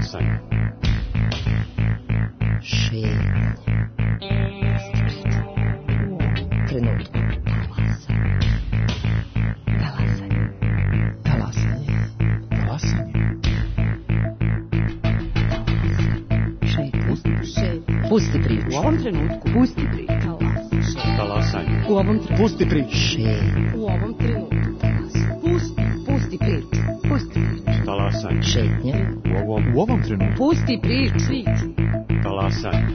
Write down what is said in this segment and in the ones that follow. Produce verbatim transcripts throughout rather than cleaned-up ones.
Talasanje. Šetnja. Trenutku. Talasanje. Talasanje. Talasanje. Pusti priču. U ovom trenutku. Pusti priču. Talasanje. U ovom trenutku. Pusti priču. U ovom trenutku. Pusti, pusti priču. Pusti priču. Talasanje. Šetnja. U ovom, u ovom trenutku. Pusti priču. Talasanje.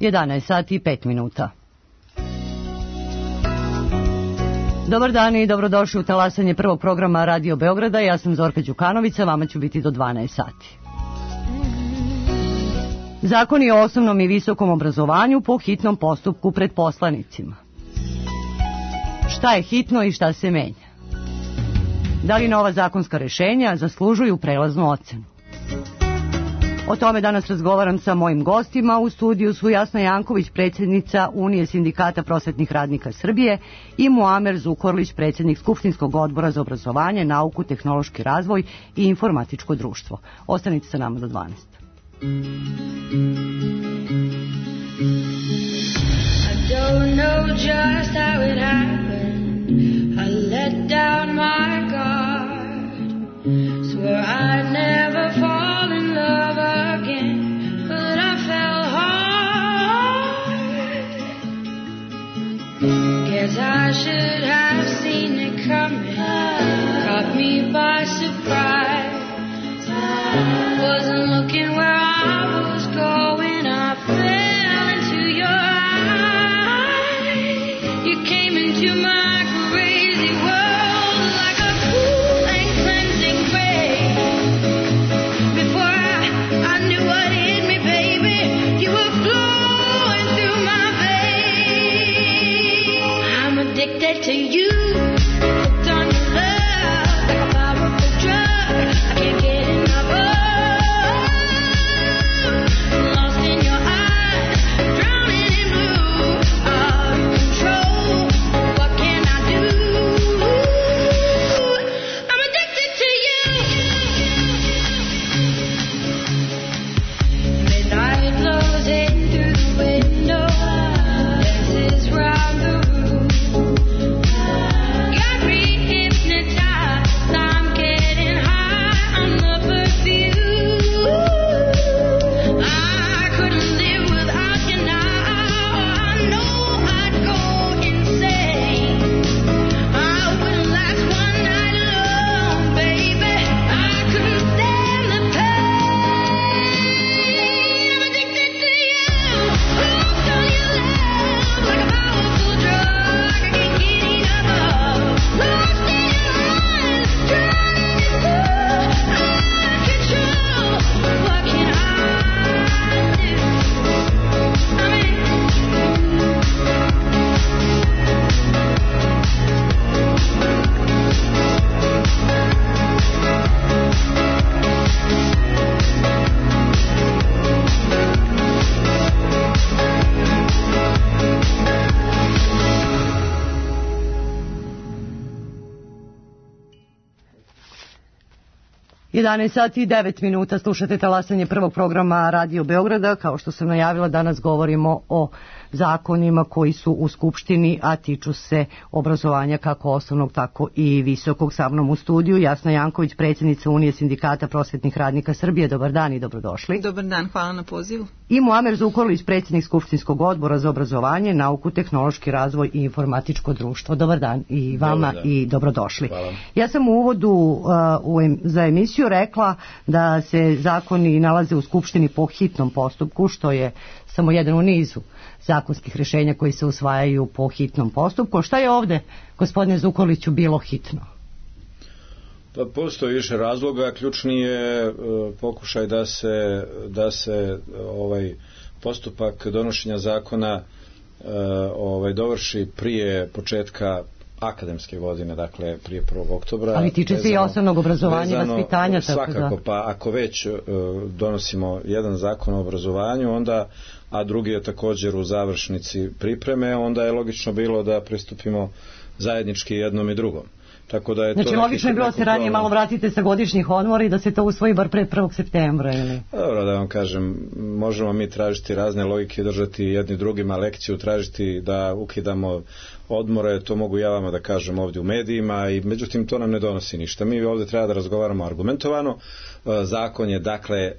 jedanaest sati i pet minuta. Dobar dan i dobrodošli u talasanje prvog programa Radio Beograda. Ja sam Zorka Đukanovića, vama ću biti do dvanaest sati. Zakoni o osnovnom i visokom obrazovanju po hitnom postupku pred poslanicima. Šta je hitno i šta se menja? Da li nova zakonska rešenja zaslužuju prelaznu ocenu? O tome danas razgovaram sa mojim gostima. U studiju su Jasna Janković, predsjednica Unije sindikata prosvetnih radnika Srbije, i Muamer Zukorlić, predsjednik Skupštinskog odbora za obrazovanje, nauku, tehnološki razvoj i informatičko društvo. Ostanite sa nama do dvanaest. I don't know just how it happened. I let down my guard. Swore I'd never fall in love again, but I fell hard. Guess I should have seen it coming. Caught me by surprise. Wasn't looking where I was going. I fell into your eyes. You came into my crazy world like a cool and cleansing rain. Before I, I knew what hit me, baby, you were flowing through my veins. I'm addicted to you. Hooked on your love like a powerful drug. I can't get enough of. Lost in your eyes, drowning in blue. Out of control. What can I do? I'm addicted to you. Midnight blows in through the window. Dances round the room. Got me hypnotized. I'm getting high on the perfume. I couldn't live without you now. I know I'd go insane. I wouldn't last one night alone, baby. I couldn't stand the pain. I'm addicted to you. Hooked on your love like a powerful drug. I can't get enough of. Lost in your eyes, drowning in blue. Out of control. What can I do? I'm in. jedanaest sati i devet minuta, slušate talasanje prvog programa Radio Beograda. Kao što sam najavila, danas govorimo o zakonima koji su u Skupštini, a tiču se obrazovanja kako osnovnog, tako i visokog. Sa mnom u studiju Jasna Janković, predsjednica Unije sindikata prosvetnih radnika Srbije. Dobar dan i dobrodošli. Dobar dan, hvala na pozivu. I Muamer Zukorlić, predsjednik Skupštinskog odbora za obrazovanje, nauku, tehnološki razvoj i informatičko društvo. Dobar dan i vama i dobrodošli. Hvala. Ja sam u uvodu uh, u em, za emisiju rekla da se zakoni nalaze u Skupštini po hitnom postupku, što je samo jedan u nizu zakonskih rješenja koji se usvajaju po hitnom postupku. Šta je ovde, gospodine Zukorliću, bilo hitno? Pa postoji više razloga. Ključni je uh, pokušaj da se, da se ovaj postupak donošenja zakona ovaj, dovrši prije početka akademske godine, dakle prije prvog oktobra. Ali tiče se i osnovnog obrazovanja i vaspitanja. Svakako, da. Pa ako već uh, donosimo jedan zakon o obrazovanju, onda, a drugi je također u završnici pripreme, onda je logično bilo da pristupimo zajednički jednom i drugom. Tako da je znači, to logično je bilo se ranije malo vratite sa godišnjih odmora i da se to usvoji bar pre prvog septembra, ili? Dobro, da vam kažem, možemo mi tražiti razne logike, držati jedni drugima lekciju, tražiti da ukidamo odmore, to mogu ja vama da kažem ovdje u medijima, i međutim to nam ne donosi ništa. Mi ovdje treba da razgovaramo argumentovano. Zakon je dakle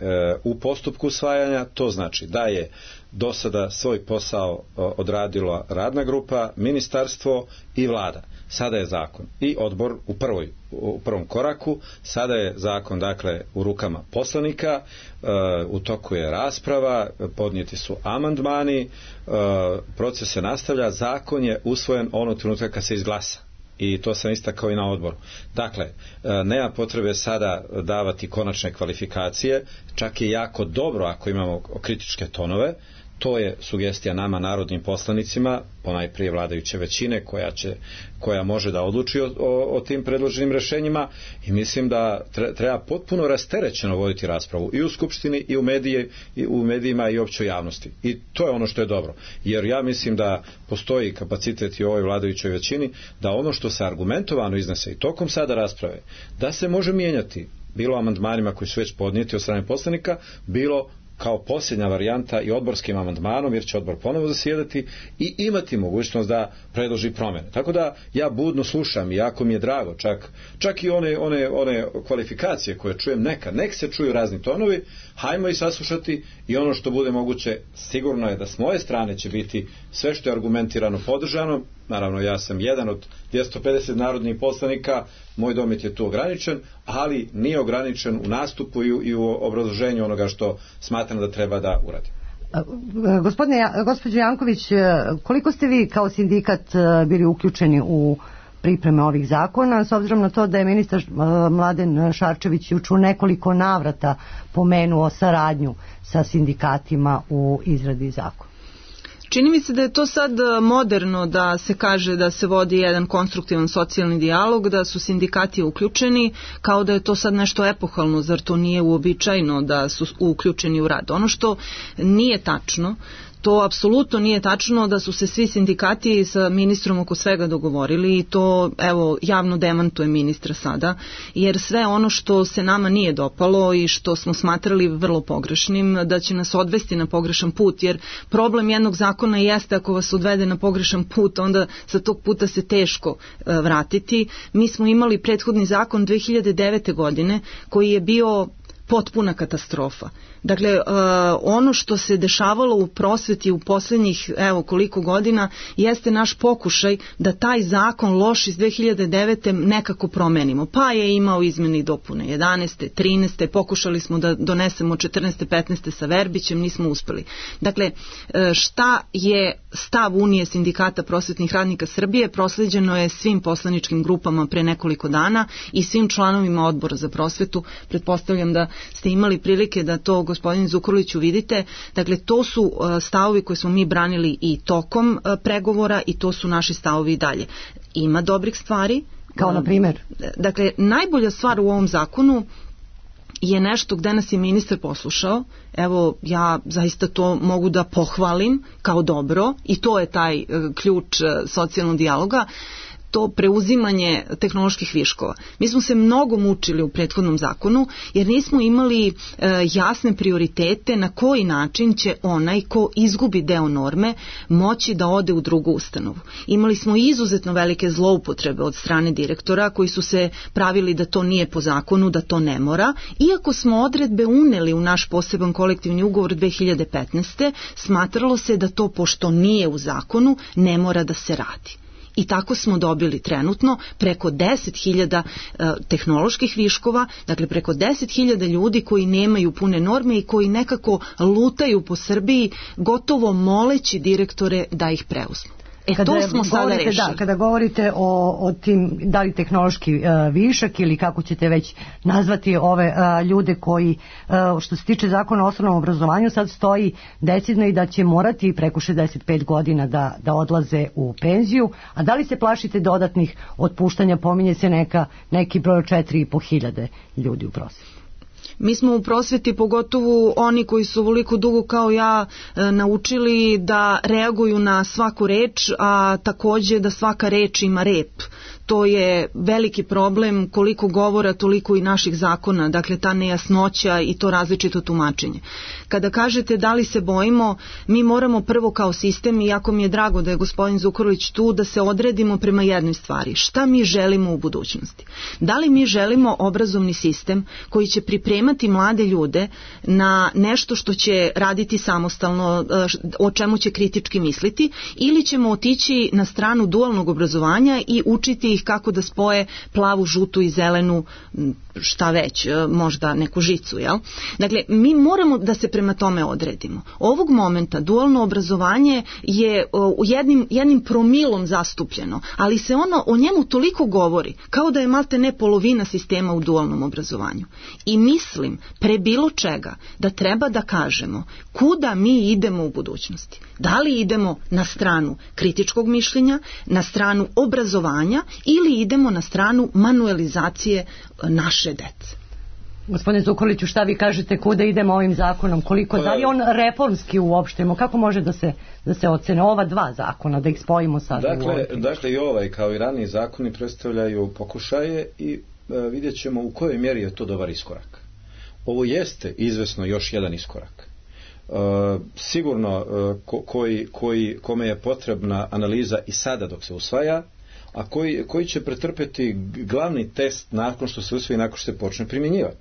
u postupku usvajanja, to znači da je do sada svoj posao odradila radna grupa, ministarstvo i vlada. Sada je zakon i odbor u prvoj u prvom koraku, sada je zakon dakle u rukama poslanika, u toku je rasprava, podnijeti su amandmani, proces se nastavlja, zakon je usvojen onog trenutka kad se izglasa. I to sam istakao i na odboru. Dakle, nema potrebe sada davati konačne kvalifikacije, čak je jako dobro ako imamo kritičke tonove. To je sugestija nama, narodnim poslanicima, ponajprije vladajuće većine koja, će, koja može da odluči o, o, o tim predloženim rešenjima, i mislim da treba potpuno rasterećeno voditi raspravu i u Skupštini i u, medije, i u medijima i općoj javnosti. I to je ono što je dobro. Jer ja mislim da postoji kapacitet i u ovoj vladajućoj većini da ono što se argumentovano iznese i tokom sada rasprave, da se može mijenjati bilo amandmanima koji su već podnijeti od strane poslanika, bilo kao posljednja varijanta i odborskim amandmanom, jer će odbor ponovo zasjedati i imati mogućnost da predloži promjene. Tako da ja budno slušam i jako mi je drago, čak, čak i one, one, one kvalifikacije koje čujem nekad, nek se čuju razni tonovi, hajmo i saslušati, i ono što bude moguće, sigurno je da s moje strane će biti sve što je argumentirano podržano. Naravno, ja sam jedan od dvjesto pedeset narodnih poslanika, moj domet je tu ograničen, ali nije ograničen u nastupu i u, i u obrazloženju onoga što smatram da treba da uradi. Gospodine, gospođo Janković, koliko ste vi kao sindikat bili uključeni u pripreme ovih zakona, s obzirom na to da je ministar Mladen Šarčević juče u nekoliko navrata pomenuo saradnju sa sindikatima u izradi zakona? Čini mi se da je to sad moderno da se kaže da se vodi jedan konstruktivan socijalni dijalog, da su sindikati uključeni, kao da je to sad nešto epohalno, zar to nije uobičajeno da su uključeni u rad. Ono što nije tačno, to apsolutno nije tačno da su se svi sindikati sa ministrom oko svega dogovorili, i to evo javno demantuje ministra sada, jer sve ono što se nama nije dopalo i što smo smatrali vrlo pogrešnim, da će nas odvesti na pogrešan put, jer problem jednog zakona jeste ako vas odvede na pogrešan put, onda sa tog puta se teško e, vratiti. Mi smo imali prethodni zakon dve hiljade devete. godine koji je bio potpuna katastrofa. Dakle, uh, ono što se dešavalo u prosveti u posljednjih evo koliko godina jeste naš pokušaj da taj zakon loš iz dve hiljade devete. nekako promenimo. Pa je imao izmjene i dopune jedanaeste. trinaeste. Pokušali smo da donesemo četrnaeste. petnaeste. sa Verbićem, nismo uspeli. Dakle, šta je stav Unije sindikata prosvetnih radnika Srbije prosleđeno je svim poslaničkim grupama pre nekoliko dana i svim članovima odbora za prosvetu. Pretpostavljam da ste imali prilike da to, gospodin Zukorliću, vidite. Dakle, to su stavovi koje smo mi branili i tokom pregovora, i to su naši stavovi i dalje. Ima dobrih stvari. Kao na primjer? Dakle, najbolja stvar u ovom zakonu je nešto gde nas je ministar poslušao. Evo, ja zaista to mogu da pohvalim kao dobro, i to je taj ključ socijalnog dijaloga, to preuzimanje tehnoloških viškova. Mi smo se mnogo mučili u prethodnom zakonu jer nismo imali e, jasne prioritete na koji način će onaj ko izgubi deo norme moći da ode u drugu ustanovu. Imali smo izuzetno velike zloupotrebe od strane direktora koji su se pravili da to nije po zakonu, da to ne mora, iako smo odredbe uneli u naš poseban kolektivni ugovor dve hiljade petnaeste. Smatralo se da to, pošto nije u zakonu, ne mora da se radi. I tako smo dobili trenutno preko deset hiljada e, tehnoloških viškova, dakle preko deset hiljada ljudi koji nemaju pune norme i koji nekako lutaju po Srbiji, gotovo moleći direktore da ih preuzmu. E Kada to smo sada govorite, rešili. Da, kada govorite o, o tim, da li tehnološki uh, višak ili kako ćete već nazvati ove uh, ljude koji, uh, što se tiče zakona o osnovnom obrazovanju, sad stoji decidno i da će morati preko šezdeset pet godina da, da odlaze u penziju, a da li se plašite dodatnih otpuštanja, pominje se neka, neki broj od četiri i po hiljade ljudi u prosjeku. Mi smo u prosveti, pogotovo oni koji su ovoliko dugo kao ja e, naučili da reaguju na svaku reč, a takođe da svaka reč ima rep. To je veliki problem, koliko govora, toliko i naših zakona, dakle ta nejasnoća i to različito tumačenje. Kada kažete da li se bojimo, mi moramo prvo kao sistem, i jako mi je drago da je gospodin Zukorlić tu, da se odredimo prema jednoj stvari. Šta mi želimo u budućnosti? Da li mi želimo obrazovni sistem koji će pripremati mlade ljude na nešto što će raditi samostalno, o čemu će kritički misliti, ili ćemo otići na stranu dualnog obrazovanja i učiti ih kako da spoje plavu, žutu i zelenu, šta već, možda neku žicu, jel? Dakle, mi moramo da se prema tome odredimo. Ovog momenta dualno obrazovanje je u jednim, jednim promilom zastupljeno, ali se ono o njemu toliko govori, kao da je malte ne polovina sistema u dualnom obrazovanju. I mislim, pre bilo čega, da treba da kažemo kuda mi idemo u budućnosti. Da li idemo na stranu kritičkog mišljenja, na stranu obrazovanja ili idemo na stranu manuelizacije naše dece. Gospodine Zukorliću, šta vi kažete, kuda idemo ovim zakonom? Koliko, da li je on reformski uopšte? Kako može da se, da se ocene ova dva zakona, da ih spojimo sad? Dakle, dakle i ovaj kao i raniji zakoni predstavljaju pokušaje i e, vidjet ćemo u kojoj mjeri je to dobar iskorak. Ovo jeste izvesno još jedan iskorak. E, sigurno e, ko, koji, koji, kome je potrebna analiza i sada dok se usvaja, a koji, koji će pretrpeti glavni test nakon što se usvoji, nakon što se počne primjenjivati.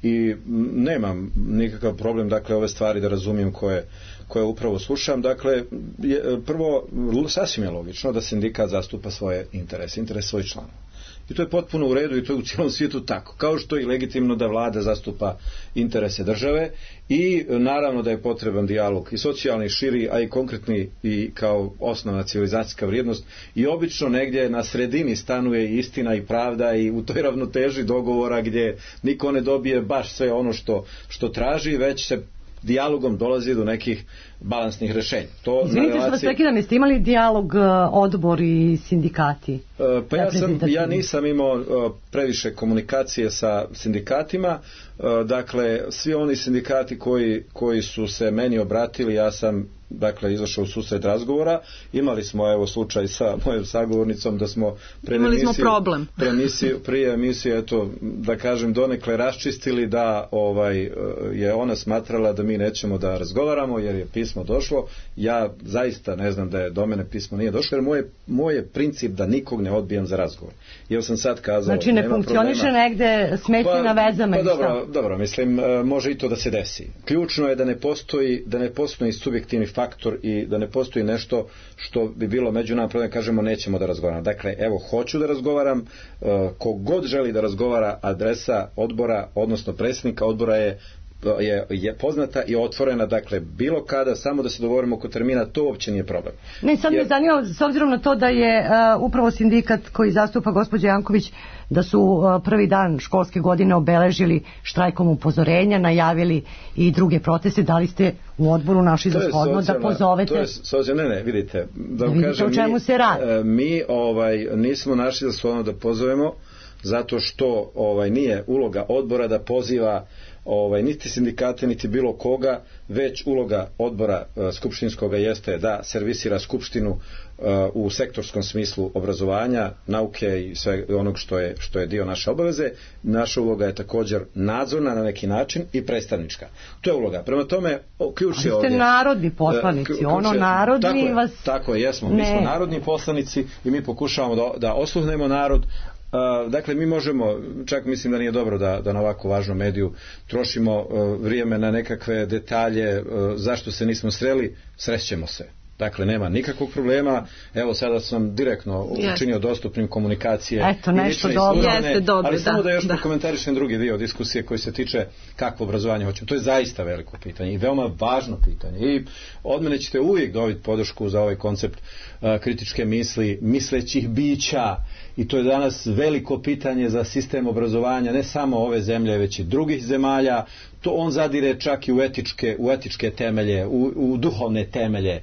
I nemam nikakav problem, dakle, ove stvari da razumijem koje, koje upravo slušam. Dakle, je, prvo, sasvim je logično da sindikat zastupa svoje interese, interes svojih članova. I to je potpuno u redu i to je u cijelom svijetu tako. Kao što je i legitimno da vlada zastupa interese države i naravno da je potreban dijalog i socijalni, širi, a i konkretni i kao osnovna civilizacijska vrijednost. I obično negdje na sredini stanuje i istina i pravda i u toj ravnoteži dogovora gdje niko ne dobije baš sve ono što, što traži, već se dijalogom dolazi do nekih balansnih rešenja. To Izvinite relaciji... što vas prekidam, jeste imali dijalog odbor i sindikati? Uh, pa ja, sam, ja nisam imao uh, previše komunikacije sa sindikatima, uh, dakle svi oni sindikati koji, koji su se meni obratili, ja sam dakle izašao u susret razgovora. Imali smo evo slučaj sa mojom sagovornicom da smo pre imali emisiju, smo problem pre emisiju, prije emisije eto da kažem donekle raščistili da ovaj je ona smatrala da mi nećemo da razgovaramo jer je pismo došlo. Ja zaista ne znam da je do mene pismo nije došlo, jer moje, moje princip da nikog ne odbijam za razgovor. Jer sam sad kazao, znači ne nema funkcioniše problema. Negde smetnje pa, na vezama pa i šta? dobro, dobro, mislim može i to da se desi. Ključno je da ne postoji da ne postoji subjektivni faktor i da ne postoji nešto što bi bilo među nama problem, kažemo nećemo da razgovaramo. Dakle, evo, hoću da razgovaram, kogod želi da razgovara, adresa odbora, odnosno predsjednika odbora je Je, je poznata i otvorena, dakle bilo kada, samo da se dogovorimo oko termina, to uopće nije problem. Ne, sad Jer... me zanima, s obzirom na to da je uh, upravo sindikat koji zastupa gospođa Janković, da su uh, prvi dan školske godine obeležili štrajkom upozorenja, najavili i druge proteste, da li ste u odboru našli za shodno da pozovete? To je socijalna, ne, ne, vidite, da, da vidite kažem, o čemu mi, se radi. Mi ovaj, nismo našli za shodno da pozovemo, zato što ovaj nije uloga odbora da poziva ovaj niti sindikate niti bilo koga, već uloga odbora uh, skupštinskoga jeste da servisira skupštinu uh, u sektorskom smislu obrazovanja, nauke i sve onog što je što je dio naše obaveze. Naša uloga je također nadzorna na neki način i predstavnička. To je uloga. Prema tome ključ je ovdje. Ali ste narodni poslanici, uh, ono je, narodni tako je, vas. Tako je, jesmo. Ne. Mi smo narodni poslanici i mi pokušavamo da, da osluhnemo narod. Uh, dakle, mi možemo, čak mislim da nije dobro da, da na ovako važnom mediju trošimo uh, vrijeme na nekakve detalje, uh, zašto se nismo sreli, srećemo se. Dakle, nema nikakvog problema. Evo, sada sam direktno učinio dostupnim komunikacije. Eto, nešto dobro. Jeste dobro, ali samo da, da još da. prokomentarišem drugi dio diskusije koji se tiče kakvo obrazovanje hoćemo. To je zaista veliko pitanje i veoma važno pitanje. I od mene ćete uvijek dobiti podršku za ovaj koncept uh, kritičke misli, mislećih bića. I to je danas veliko pitanje za sistem obrazovanja ne samo ove zemlje, već i drugih zemalja. To on zadire čak i u etičke, u etičke temelje, u, u duhovne temelje,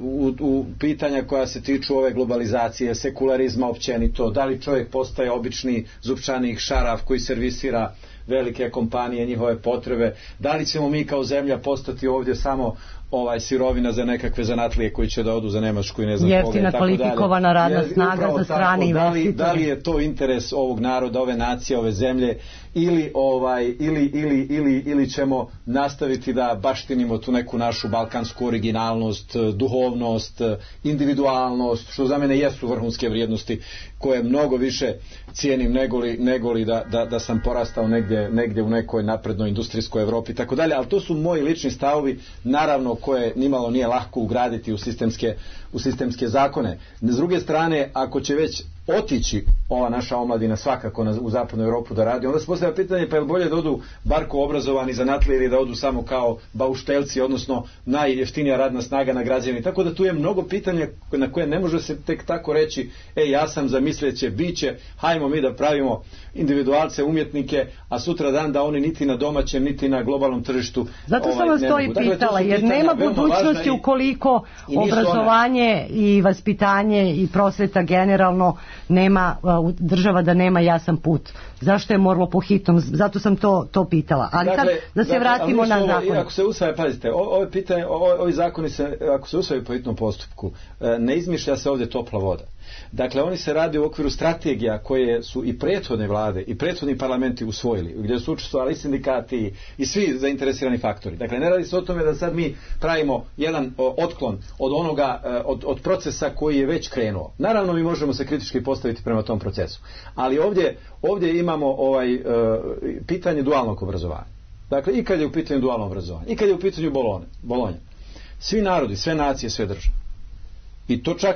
u, u pitanja koja se tiču ove globalizacije, sekularizma općenito, da li čovjek postaje obični zupčanik šaraf koji servisira velike kompanije, njihove potrebe, da li ćemo mi kao zemlja postati ovdje samo ovaj sirovina za nekakve zanatlije koji će da odu za Nemačku i ne znam koga. Jeftina kvalifikovana radna snaga za strani investitore. Da li je to interes ovog naroda, ove nacije, ove zemlje ili ovaj ili ili ili ili ćemo nastaviti da baštinimo tu neku našu balkansku originalnost, duhovnost, individualnost, što za mene jesu vrhunske vrijednosti koje mnogo više cijenim negoli negoli da da da sam porastao negdje negdje u nekoj naprednoj industrijskoj Evropi i tako dalje, al to su moji lični stavovi, naravno koje nimalo nije lako ugraditi u sistemske u sistemske zakone. S druge strane, ako će već otići ova naša omladina svakako na, u zapadnu Europu da radi, onda se postavlja pitanje pa je bolje da odu barko obrazovani zanatlije ili da odu samo kao bauštelci, odnosno najjeftinija radna snaga na građani. Tako da tu je mnogo pitanja na koje ne može se tek tako reći e ja sam za misleće biće, hajmo mi da pravimo individualce, umjetnike, a sutra dan da oni niti na domaćem niti na globalnom tržištu. Zato ovaj, sam vas to i pitala, jer nema budućnosti ukoliko i obrazovanje i vaspitanje i prosveta generalno nema država da nema jasan put. Zašto je moralo po hitnom? Zato sam to to pitala. Ali dakle, sad da se dakle, vratimo na zakon. Ako se usvaja, pazite, ove pitanje, ovi zakoni se ako se usvajaju po hitnom postupku, ne izmišlja se ovdje topla voda. Dakle, oni se radi u okviru strategija koje su i prethodne vlade i prethodni parlamenti usvojili, gdje su učestvovali sindikati i svi zainteresirani faktori. Dakle, ne radi se o tome da sad mi pravimo jedan otklon od onoga, od, od procesa koji je već krenuo. Naravno, mi možemo se kritički postaviti prema tom procesu. Ali ovdje, ovdje imamo ovaj, uh, pitanje dualnog obrazovanja. Dakle, i kad je u pitanju dualno obrazovanje, i kad je u pitanju Bolonje, Bolonja. Svi narodi, sve nacije, sve države. I to čak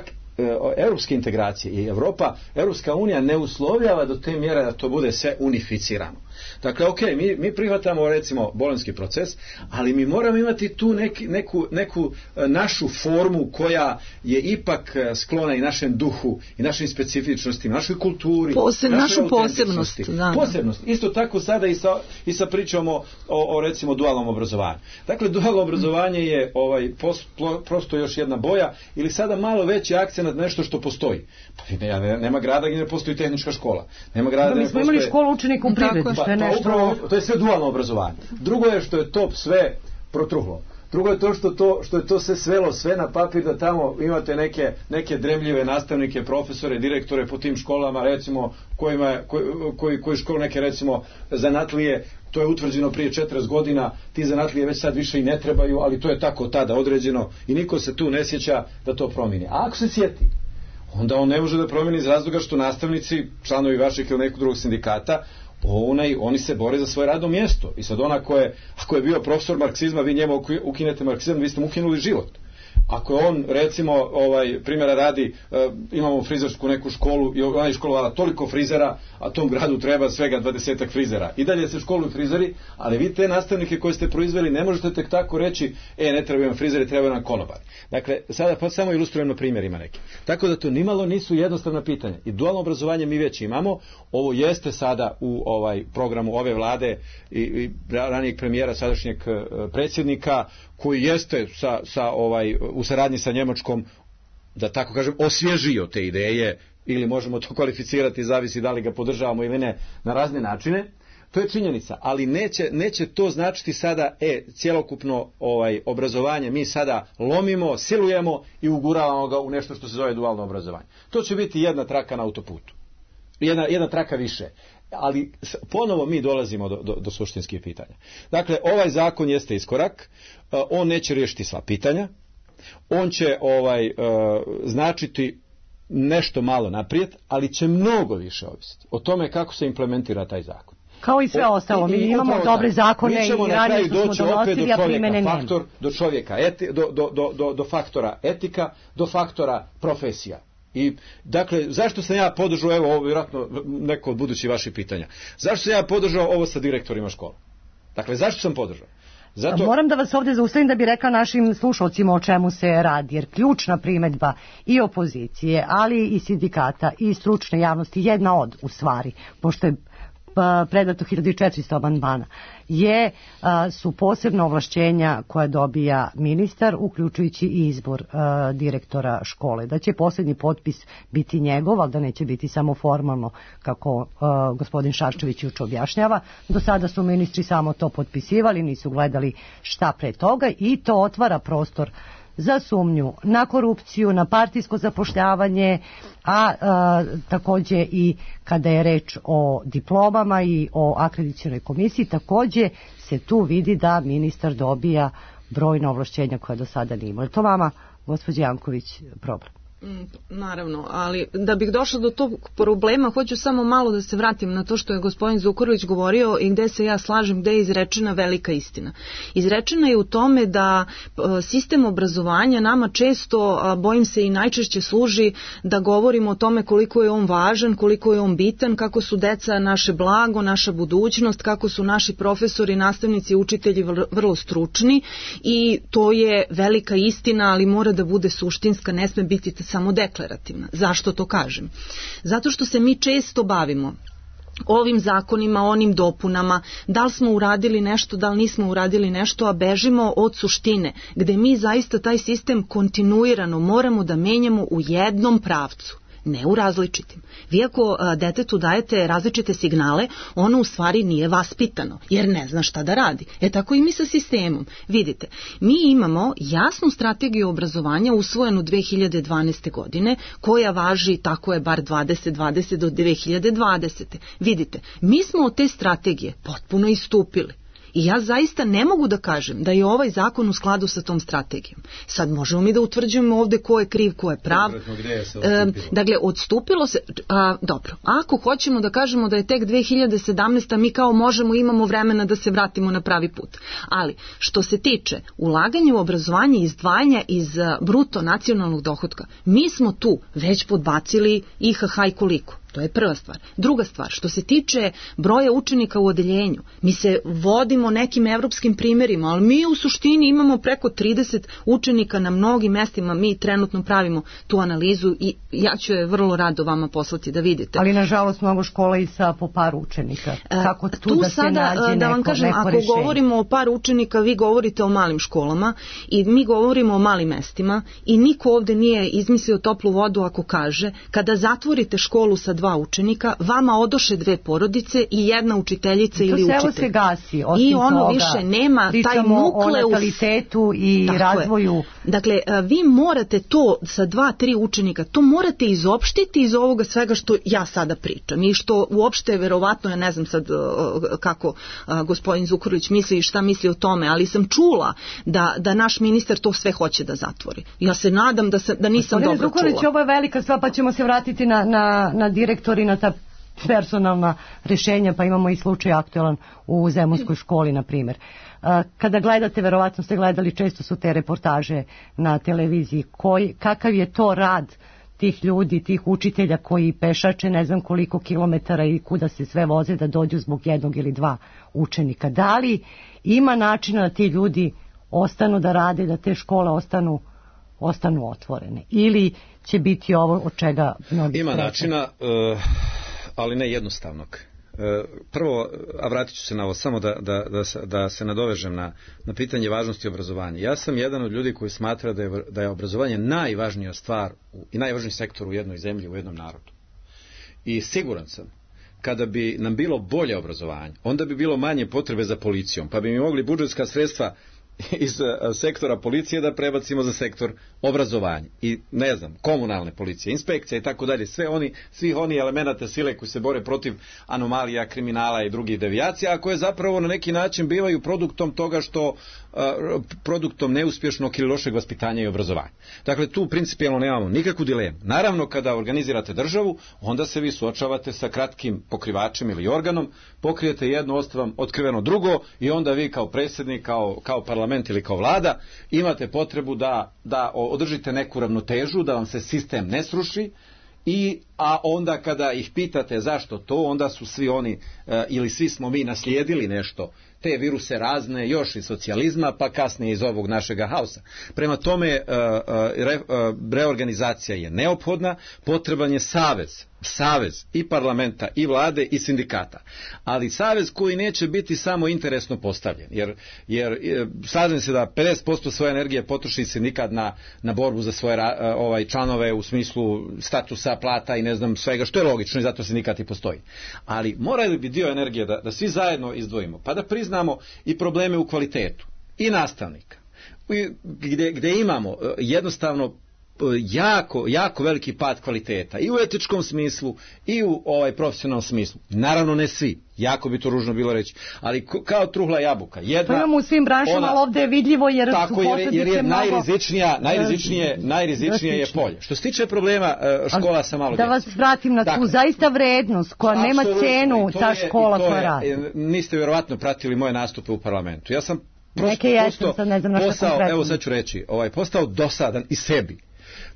europske integracije i Evropa, Europska unija ne uslovljava do te mjere da to bude sve unificirano. Dakle, ok, mi, mi prihvatamo recimo bolonjski proces, ali mi moramo imati tu neki, neku, neku našu formu koja je ipak sklona i našem duhu i našim specifičnostima, našoj kulturi, Poseb, našu posebnost. Da, posebnost. Isto tako sada i sa, i sa pričom o, o, o recimo dualnom obrazovanju. Dakle, dualno obrazovanje je ovaj, pos, prosto još jedna boja ili sada malo veći akcent na nešto što postoji. Pa ne, nema grada gdje ne postoji tehnička škola. Nema grada da, mi smo imali školu učenika u privredi, što je nešto... Upravo, to je sve dualno obrazovanje. Drugo je što je to sve protruhlo. Drugo je to što, to što je to se svelo sve na papir da tamo imate neke, neke dremljive nastavnike, profesore, direktore po tim školama, recimo kojima, koji, koji, koji školu neke recimo zanatlije, to je utvrđeno prije četrdeset godina, ti zanatlije već sad više i ne trebaju, ali to je tako tada određeno i niko se tu ne sjeća da to promijeni. A ako se sjeti, onda on ne može da promijeni iz razloga što nastavnici, članovi vašeg ili nekog drugog sindikata, Onaj, oni se bore za svoje radno mjesto i sad ona ko je, ako je bio profesor marksizma, vi njemu ukinete marksizam, vi ste mu ukinuli život. Ako je on, recimo, ovaj, primjera radi, e, imamo frizersku neku školu i ona je školovala toliko frizera, a tom gradu treba svega dvadesetak frizera. I dalje se školuju frizeri, ali vi te nastavnike koje ste proizveli ne možete tek tako reći, e, ne trebaju nam frizeri, trebaju nam konobari. Dakle, sada pa samo ilustrujem na primjerima neki. Tako da to nimalo nisu jednostavna pitanja. I dualno obrazovanje mi već imamo, ovo jeste sada u ovaj programu ove vlade i, i ranijeg premijera, sadašnjeg predsjednika, koji jeste sa, sa ovaj, u saradnji sa Njemačkom, da tako kažem, osvježio te ideje, ili možemo to kvalificirati, zavisi da li ga podržavamo ili ne, na razne načine. To je činjenica, ali neće, neće to značiti sada, e, cjelokupno ovaj, obrazovanje mi sada lomimo, silujemo i uguravamo ga u nešto što se zove dualno obrazovanje. To će biti jedna traka na autoputu. Jedna, jedna traka više. Ali ponovo mi dolazimo do, do, do suštinskih pitanja. Dakle, ovaj zakon jeste iskorak, on neće riješiti sva pitanja, on će ovaj, značiti nešto malo naprijed, ali će mnogo više ovisiti o tome kako se implementira taj zakon. Kao i sve ostalo, mi I- i imamo upravo dobre tako. zakone Mi ćemo i na ranije kraju što smo doći opet donosili, do a primene čovjeka, nema. faktor, do čovjeka, eti, do, do, do, do, do, do faktora etika, do faktora profesija. I, dakle, zašto sam ja podržao, evo, ovo vjerojatno neko od budućih vaših pitanja, zašto sam ja podržao ovo sa direktorima škola? Dakle, zašto sam podržao? Zato... Moram da vas ovdje zaustavim da bi rekla našim slušalcima o čemu se radi, jer ključna primedba i opozicije, ali i sindikata i stručne javnosti, jedna od, u stvari, pošto je pa, predato hiljadu četiristo amandmana, je, a, su posebna ovlašćenja koja dobija ministar, uključujući i izbor a, direktora škole. Da će posljednji potpis biti njegov, ali da neće biti samo formalno, kako a, gospodin Šarčević juče objašnjava. Do sada su ministri samo to potpisivali, nisu gledali šta pre toga, i to otvara prostor za sumnju na korupciju, na partijsko zapošljavanje, a, a takođe i kada je reč o diplomama i o akreditacionoj komisiji, takođe se tu vidi da ministar dobija brojna ovlašćenja koja do sada nije imao. Je to vama, gospođa Janković, problem? Naravno, ali da bih došla do tog problema, hoću samo malo da se vratim na to što je gospodin Zukorlić govorio i gde se ja slažem, gde je izrečena velika istina. Izrečena je u tome da sistem obrazovanja nama često, bojim se i najčešće služi da govorimo o tome koliko je on važan, koliko je on bitan, kako su deca naše blago, naša budućnost, kako su naši profesori, nastavnici, učitelji vrlo stručni, i to je velika istina, ali mora da bude suštinska, ne sme biti samo deklarativna. Zašto to kažem? Zato što se mi često bavimo ovim zakonima, onim dopunama, da li smo uradili nešto, da li nismo uradili nešto, a bežimo od suštine, gde mi zaista taj sistem kontinuirano moramo da menjamo u jednom pravcu, ne u različitim. Vi ako a, detetu dajete različite signale, ono u stvari nije vaspitano, jer ne zna šta da radi. E tako i mi sa sistemom. Vidite, mi imamo jasnu strategiju obrazovanja usvojenu dve hiljade dvanaeste. godine, koja važi, tako je, bar dvadeset dvadeset do dve hiljade dvadesete. Vidite, mi smo od te strategije potpuno istupili. I ja zaista ne mogu da kažem da je ovaj zakon u skladu sa tom strategijom. Sad možemo mi da utvrđujemo ovde ko je kriv, ko je prav. E, dakle, odstupilo se... A, dobro, ako hoćemo da kažemo da je tek dve hiljade sedamnaesta. mi kao možemo, imamo vremena da se vratimo na pravi put. Ali, što se tiče ulaganja u obrazovanje i izdvajanja iz bruto nacionalnog dohotka, mi smo tu već podbacili I H H i koliko. To je prva stvar. Druga stvar, što se tiče broja učenika u odeljenju, mi se vodimo nekim evropskim primjerima, ali mi u suštini imamo preko trideset učenika na mnogim mestima, mi trenutno pravimo tu analizu i ja ću je vrlo rado vama poslati da vidite. Ali nažalost mnogo škola I sa po par učenika. Kako tu, tu da se sada, nađe da vam neko, kažem, neko ako rešenje? govorimo o par učenika, vi govorite o malim školama i mi govorimo o malim mestima i niko ovde nije izmislio toplu vodu ako kaže kada zatvorite školu sa dva učenika, vama odoše dve porodice i jedna učiteljica ili učitelj. To selo se gasi, osim I ono toga, više nema taj pričamo nukleus. o natalitetu i Tako razvoju. je. Dakle, vi morate to sa dva, tri učenika, to morate izopštiti iz ovoga svega što ja sada pričam i što uopšte verovatno, ja ne znam sad kako gospodin Zukorlić misli i šta misli o tome, ali sam čula da, da naš ministar to sve hoće da zatvori. Ja se nadam da, se, da nisam Gospodine dobro Zukorlić, čula. ovo je velika stvar, pa ćemo se vratiti na, na, na direktori, na ta personalna rešenja, pa imamo i slučaj aktualan u Zemunskoj školi, na primjer. Kada gledate, verovatno ste gledali, često su te reportaže na televiziji, koji, kakav je to rad tih ljudi, tih učitelja koji pešače ne znam koliko kilometara i kuda se sve voze da dođu zbog jednog ili dva učenika. Da li ima načina da ti ljudi ostanu da rade, da te škole ostanu ostanu otvorene? Ili će biti ovo od čega mnogi Ima streće? načina, uh, ali ne jednostavnog. Prvo, a vratit ću se na ovo, samo da, da, da, da se nadovežem na, na pitanje važnosti obrazovanja. Ja sam jedan od ljudi koji smatra da je, da je obrazovanje najvažnija stvar u, i najvažniji sektor u jednoj zemlji, u jednom narodu. I siguran sam, kada bi nam bilo bolje obrazovanje, onda bi bilo manje potrebe za policijom, pa bi mi mogli budžetska sredstva iz uh, sektora policije da prebacimo za sektor obrazovanja i ne znam, komunalne policije, inspekcija i tako dalje, sve oni, svih oni elemenata sile koji se bore protiv anomalija, kriminala i drugih devijacija, a koje zapravo na neki način bivaju produktom toga što uh, produktom neuspješnog ili lošeg vaspitanja i obrazovanja. Dakle, tu principijelno nemamo nikakvu dilemu. Naravno, kada organizirate državu, onda se vi suočavate sa kratkim pokrivačem ili organom, pokrijete jedno, ostaje vam otkriveno drugo i onda vi kao predsjednik, kao, kao parlament ili kao vlada imate potrebu da, da održite neku ravnotežu, da vam se sistem ne sruši. I, a onda kada ih pitate zašto to, onda su svi oni e, ili svi smo mi naslijedili nešto, te viruse razne još iz socijalizma, pa kasnije iz ovog našega haosa. Prema tome e, re, e, reorganizacija je neophodna, potreban je savez, savez i parlamenta i vlade i sindikata, ali savez koji neće biti samo interesno postavljen, jer, jer slažem se da pedeset posto svoje energije potroši sindikat na, na borbu za svoje ovaj, članove u smislu statusa, plata i ne znam svega, što je logično i zato sindikat i postoji. Ali morali bi dio energije da, da svi zajedno izdvojimo, pa da priznamo i probleme u kvalitetu i nastavnika, gdje, gdje imamo jednostavno jako, jako veliki pad kvaliteta i u etičkom smislu i u ovaj profesionalnom smislu. Naravno ne svi, jako bi to ružno bilo reći, ali kao truhla jabuka. Jedna, to imamo u svim branšama, ali ovdje je vidljivo jer tako, su jer, jer je mnogo... najrizičnija, najrizičnije, najrizičnije je polje. Što se tiče problema škola sa malo da vas vratim na tu dakle, zaista vrednost koja nema cenu, ta je, škola koja je, radi. Niste vjerovatno pratili moje nastupe u parlamentu. Ja sam Neke jesam, sad ne znam na postao, evo sad ću reći, ovaj, postao dosadan i sebi,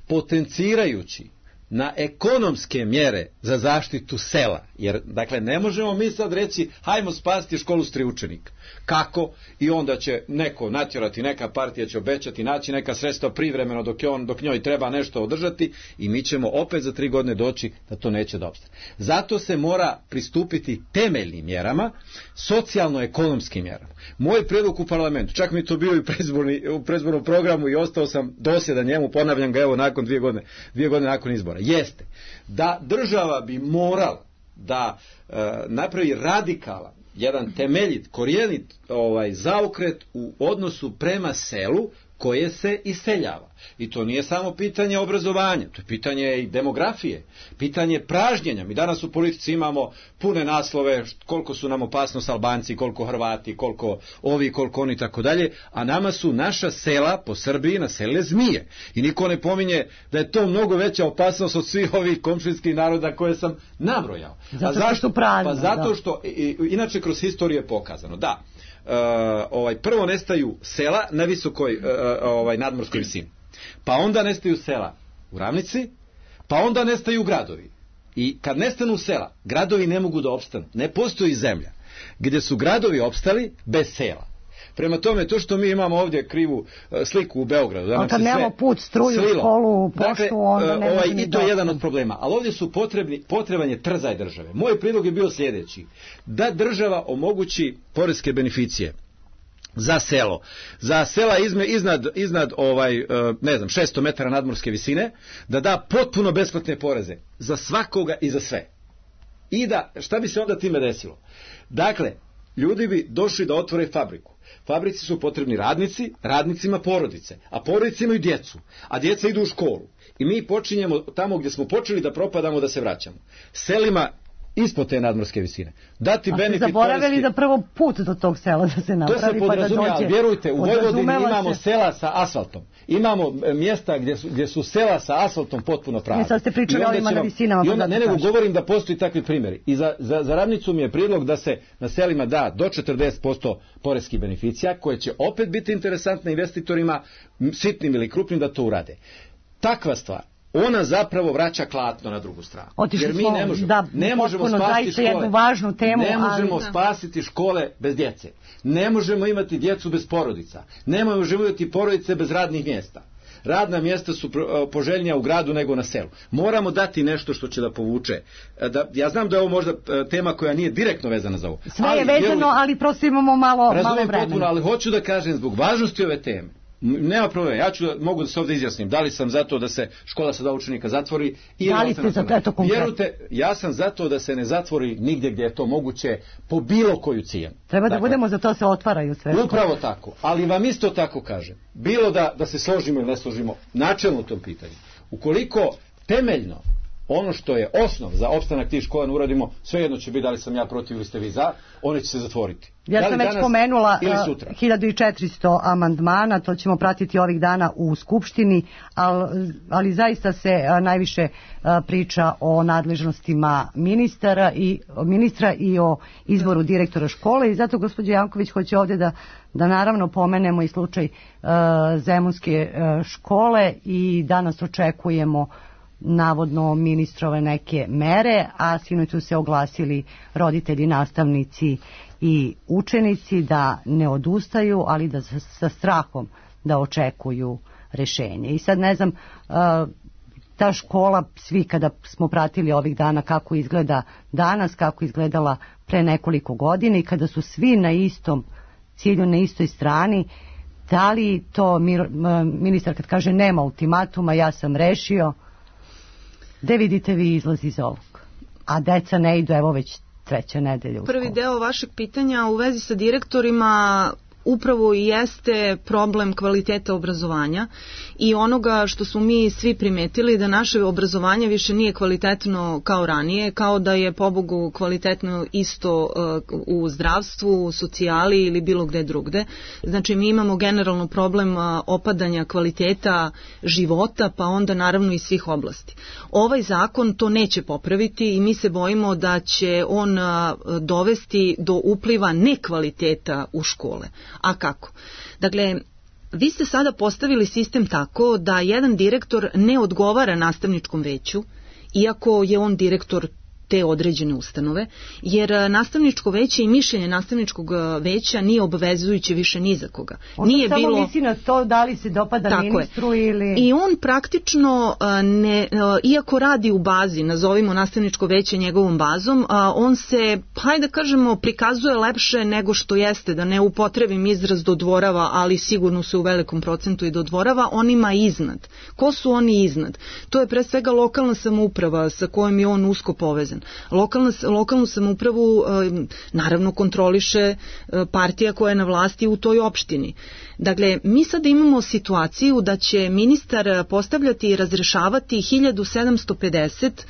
potencirajući na ekonomske mjere za zaštitu sela. Jer, dakle, ne možemo mi sad reći hajmo spasiti školu s tri učenika. Kako? I onda će neko natjerati, neka partija će obećati, naći neka sredstva privremeno dok, je on, dok njoj treba nešto održati i mi ćemo opet za tri godine doći da to neće da opstane. Zato se mora pristupiti temeljnim mjerama, socijalno-ekonomskim mjerama. Moj prijedlog u parlamentu, čak mi to bio i u predizbornom programu i ostao sam dosljedan njemu, ponavljam ga evo nakon dvije godine, dvije godine nakon izbora, jeste da država bi morala da e, napravi radikalan, jedan temeljit, korijenit ovaj, zaokret u odnosu prema selu koje se iseljava. I to nije samo pitanje obrazovanja, to je pitanje i demografije, pitanje pražnjenja. Mi danas u politici imamo pune naslove koliko su nam opasnost Albanci, koliko Hrvati, koliko ovi, koliko oni, tako dalje, a nama su naša sela po Srbiji naselile zmije. I niko ne pominje da je to mnogo veća opasnost od svih ovih komšinskih naroda koje sam nabrojao. Zato što zašto? Pravno, pa zato što, i, inače kroz historiju je pokazano, da, Uh, ovaj, prvo nestaju sela na visokoj uh, ovaj, nadmorskoj visini, pa onda nestaju sela u ravnici, pa onda nestaju gradovi. I kad nestanu sela, gradovi ne mogu da opstanu. Ne postoji zemlja gdje su gradovi opstali bez sela. Prema tome, to što mi imamo ovdje krivu uh, sliku u Beogradu, da nam a kad se nemamo put, struju, slilo. školu, poštu, dakle, onda ne ovaj, može i to je jedan od problema. Ali ovdje su potrebni, potreban je trzaj države. Moj prijedlog je bio sljedeći: da država omogući poreske beneficije za selo, za sela izme, iznad, iznad ovaj, ne znam, šesto metara nadmorske visine, da da potpuno besplatne poreze za svakoga i za sve. I da, šta bi se onda time desilo? Dakle, ljudi bi došli da otvore fabriku. Fabrici su potrebni radnici, radnicima porodice, a porodice imaju djecu, a djeca idu u školu. I mi počinjemo tamo gdje smo počeli da propadamo, da se vraćamo. Selima ispod te nadmorske visine. Dati benefit. A ste zaboravili poreski... da prvo put do tog sela da se napravi. To se podrazumijeva, pa da dođe, vjerujte, u Vojvodini imamo se... sela sa asfaltom. Imamo mjesta gdje su, gdje su sela sa asfaltom potpuno prazne. I sad ste pričali o ovima na visinama. I onda, pa ne nego govorim da postoji takvi primjeri. I za, za, za ravnicu mi je prijedlog da se na selima da do četrdeset posto poreskih beneficija, koje će opet biti interesantne investitorima, sitnim ili krupnim, da to urade. Takva stvar, ona zapravo vraća klatno na drugu stranu. Otišli jer mi smo, ne možemo, da, ne možemo spasiti škole. Jednu važnu temu, ne možemo ali... spasiti škole bez djece. Ne možemo imati djecu bez porodica. Ne možemo imati porodice bez radnih mjesta. Radna mjesta su poželjnija u gradu nego na selu. Moramo dati nešto što će da povuče. Da, ja znam da je ovo možda tema koja nije direktno vezana za ovo. Sve je vezano, ali prosto imamo malo, malo vremena. Potpuno, ali hoću da kažem zbog važnosti ove teme Nema problema, ja ću, mogu da se ovdje izjasnim, da li sam za to da se škola sa dva učenika zatvori ili da li ste za to, eto konkretno? Vjerujte, ja sam za to da se ne zatvori nigdje gdje je to moguće po bilo koju cijenu. Treba da dakle, budemo za to se otvaraju sve. Upravo tako, ali vam isto tako kažem, bilo da, da se složimo ili ne složimo načelno u tom pitanju, ukoliko temeljno ono što je osnov za opstanak tih škola ne uradimo, svejedno će biti da li sam ja protiv ili ste vi za, one će se zatvoriti. Ja da sam već pomenula sutra. hiljadu i četiristo amandmana, to ćemo pratiti ovih dana u Skupštini, ali, ali zaista se a, najviše a, priča o nadležnostima ministara i, ministra i o izboru direktora škole i zato gospođa Janković hoće ovdje da, da naravno pomenemo i slučaj a, Zemunske a, škole i danas očekujemo navodno ministrove neke mere, a sinoć su se oglasili roditelji, nastavnici i učenici da ne odustaju, ali da sa, sa strahom da očekuju rešenje. I sad ne znam, ta škola, svi kada smo pratili ovih dana kako izgleda danas, kako izgledala pre nekoliko godina i kada su svi na istom cilju, na istoj strani, da li to ministar kad kaže nema ultimatuma, ja sam rešio, gde vidite vi izlaz iz ovog? A deca ne idu, evo već treća nedelja u školu. Prvi deo vašeg pitanja u vezi sa direktorima upravo i jeste problem kvaliteta obrazovanja i onoga što smo mi svi primetili da naše obrazovanje više nije kvalitetno kao ranije, kao da je pobogu kvalitetno isto uh, u zdravstvu, u socijali ili bilo gde drugde. Znači mi imamo generalno problem uh, opadanja kvaliteta života, pa onda naravno i svih oblasti. Ovaj zakon to neće popraviti i mi se bojimo da će on uh, dovesti do upliva nekvaliteta u škole. A kako? Dakle, vi ste sada postavili sistem tako da jedan direktor ne odgovara nastavničkom veću, iako je on direktor te određene ustanove, jer nastavničko veće i mišljenje nastavničkog veća nije obavezujuće više ni za koga. On nije samo bilo... misli na to da li se dopada tako ministru je. Ili... I on praktično, ne, iako radi u bazi, nazovimo nastavničko veće njegovom bazom, on se, hajde da kažemo, prikazuje lepše nego što jeste, da ne upotrebim izraz dodvorava, ali sigurno se u velikom procentu i dodvorava, on ima iznad. Ko su oni iznad? To je pre svega lokalna samouprava sa kojom je on usko povezan. Lokalna, lokalnu samoupravu naravno kontroliše partija koja je na vlasti u toj opštini. Dakle, mi sada imamo situaciju da će ministar postavljati i razrešavati hiljadu sedamsto pedeset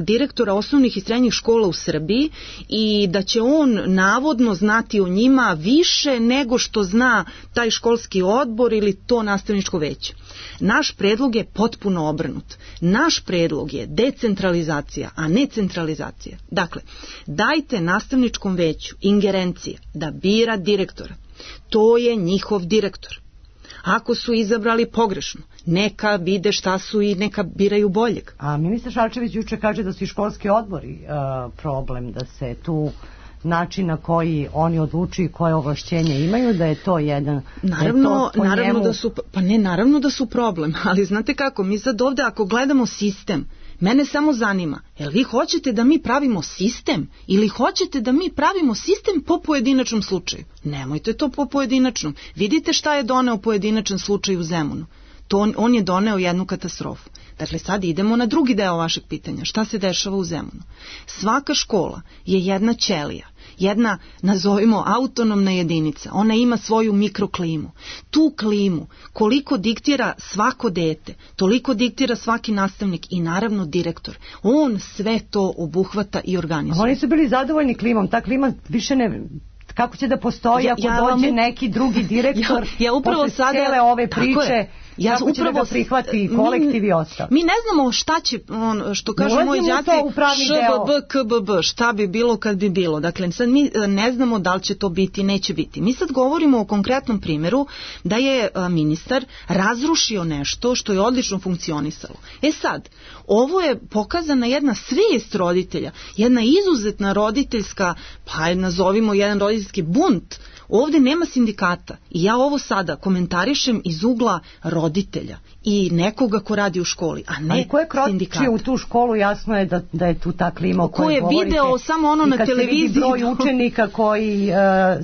direktora osnovnih i srednjih škola u Srbiji i da će on navodno znati o njima više nego što zna taj školski odbor ili to nastavničko veće. Naš predlog je potpuno obrnut. Naš predlog je decentralizacija, a ne centralizacija. Dakle, dajte nastavničkom veću ingerencije da bira direktora. To je njihov direktor. Ako su izabrali pogrešno, neka vide šta su i neka biraju boljeg. A ministar Šarčević juče kaže da su i školski odbori uh, problem, da se tu način na koji oni odlučuju koje ovlašćenje imaju, da je to jedan... Naravno, da naravno njemu... da su, pa ne, naravno da su problem, ali znate kako, mi sad ovde ako gledamo sistem, mene samo zanima, jel vi hoćete da mi pravimo sistem ili hoćete da mi pravimo sistem po pojedinačnom slučaju? Nemojte to po pojedinačnom. Vidite šta je doneo pojedinačan slučaj u Zemunu. To on, on je doneo jednu katastrofu. Dakle, sad idemo na drugi deo vašeg pitanja. Šta se dešava u Zemunu? Svaka škola je jedna ćelija, jedna, nazovimo, autonomna jedinica. Ona ima svoju mikroklimu. Tu klimu, koliko diktira svako dete, toliko diktira svaki nastavnik i naravno direktor. On sve to obuhvata i organizuje. Oni su bili zadovoljni klimom. Ta klima više ne... Kako će da postoji ako ja, ja dođe vam... neki drugi direktor ja, ja upravo posle sada, cijele ove priče, ja kako će da ga prihvati kolektiv i ostalo? Mi ne znamo šta će, on, što kaže moj đaci, š b b k b b, šta bi bilo kad bi bilo. Dakle, sad mi ne znamo da li će to biti, neće biti. Mi sad govorimo o konkretnom primjeru da je ministar razrušio nešto što je odlično funkcionisalo. E sad, ovo je pokazana jedna svijest roditelja, jedna izuzetna roditeljska, pa nazovimo jedan roditeljski bunt Ovde nema sindikata i ja ovo sada komentarišem iz ugla roditelja i nekoga ko radi u školi, a ne Ali ko je sindikata. kročio u tu školu, jasno je da, da je tu ta klima o Ko kojoj je govorite. video samo ono na I kad televiziji, se vidi broj to- učenika koji uh,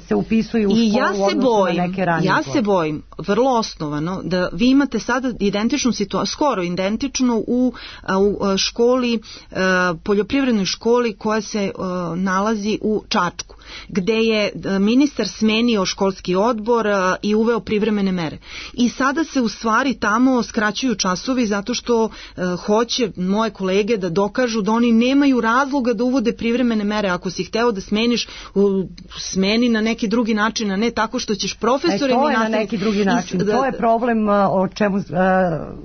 se upisuju u školu I ja u se odnosu bojim, na neke ranije ja godine. se bojim, vrlo osnovano, da vi imate sada identičnu situaciju, skoro identičnu u, a, u a, školi, a, poljoprivrednoj školi koja se a, nalazi u Čačku, gde je a, ministar smenio školski odbor a, i uveo privremene mere. I sada se u stvari tamo skraćuju časovi zato što a, hoće moje kolege da dokažu da oni nemaju razloga da uvode privremene mere. Ako si hteo da smeniš, u, smeni na neki drugi način, a ne tako što ćeš E, profesorima to je na nastaviti- neki drugi način. I s- To je problem uh, o čemu uh,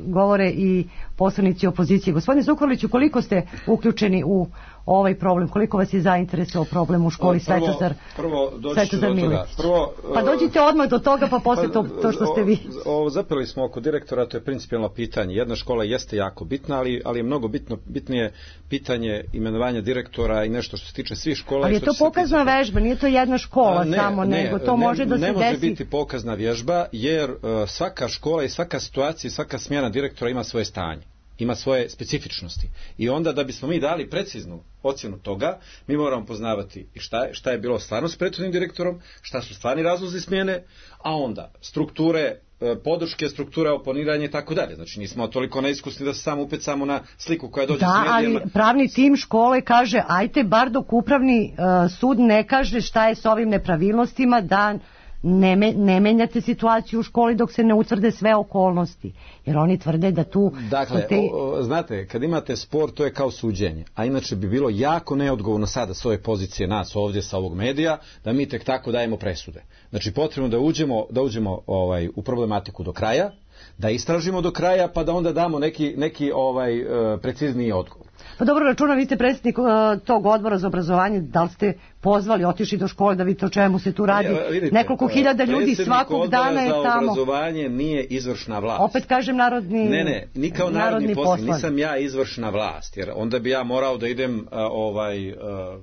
govore i poslanici opozicije. Gospodine Zukorliću, koliko ste uključeni u ovaj problem? Koliko vas je zainteresovao problem u školi Prvo- Svetozar? prvo doći ću Svetozar do toga. Miletić? Prvo, Pa uh, dođite odmah do toga, pa posle to, to što ste vi. O, o, zapeli smo oko direktora, to je principijelno pitanje. Jedna škola jeste jako bitna, ali, ali je mnogo bitno, bitnije pitanje imenovanja direktora i nešto što se tiče svih škola. Ali i je što to će se pokazna ticati- vežba, nije to jedna škola A, ne, samo, ne, nego to ne, može da se ne može desi. biti pokazna vježba, jer uh, svaka škola i svaka situacija i svaka smjena direktora ima svoje stanje, ima svoje specifičnosti. I onda da bismo mi dali preciznu ocjenu toga, mi moramo poznavati i šta je, šta je bilo stvarno s prethodnim direktorom, šta su stvarni razlozi smjene, a onda strukture, e, podrške, strukture oponiranja i tako dalje. Znači nismo toliko neiskusni da se samo upecamo na sliku koja dođe Da, s medijima. ali pravni tim škole kaže, ajte bar dok upravni uh, sud ne kaže šta je s ovim nepravilnostima, da ne, me, ne menjate situaciju u školi dok se ne utvrde sve okolnosti. Jer oni tvrde da tu... Dakle, te... o, o, znate, kad imate spor, to je kao suđenje. A inače bi bilo jako neodgovorno sada s ove pozicije nas ovdje sa ovog medija, da mi tek tako dajemo presude. Znači, potrebno da uđemo, da uđemo ovaj, u problematiku do kraja, da istražimo do kraja, pa da onda damo neki, neki ovaj, e, precizniji odgovor. Pa dobro, računam, vi ste predsjednik uh, tog odbora za obrazovanje, da li ste pozvali, otišli do škole da vidite o čemu se tu radi? E, vidite, Nekoliko hiljada ljudi predsjednik svakog dana je Odbora za tamo. obrazovanje nije izvršna vlast. Opet kažem narodni Ne, ne, ni kao narodni, narodni poslanik, poslanik. nisam ja izvršna vlast, jer onda bi ja morao da idem uh, ovaj, uh,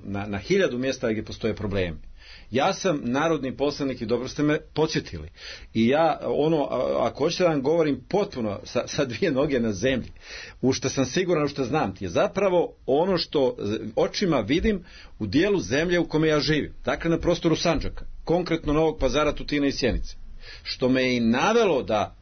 na, na hiljadu mjesta gdje postoje problemi. Ja sam narodni poslanik i dobro ste me podsjetili. I ja, ono, a- ako hoćete da vam govorim potpuno sa, sa dvije noge na zemlji, u što sam siguran, u što znam ti, je zapravo ono što z- očima vidim u dijelu zemlje u kome ja živim. Dakle, na prostoru Sandžaka, konkretno Novog Pazara, Tutina i Sjenice. Što me je i navelo da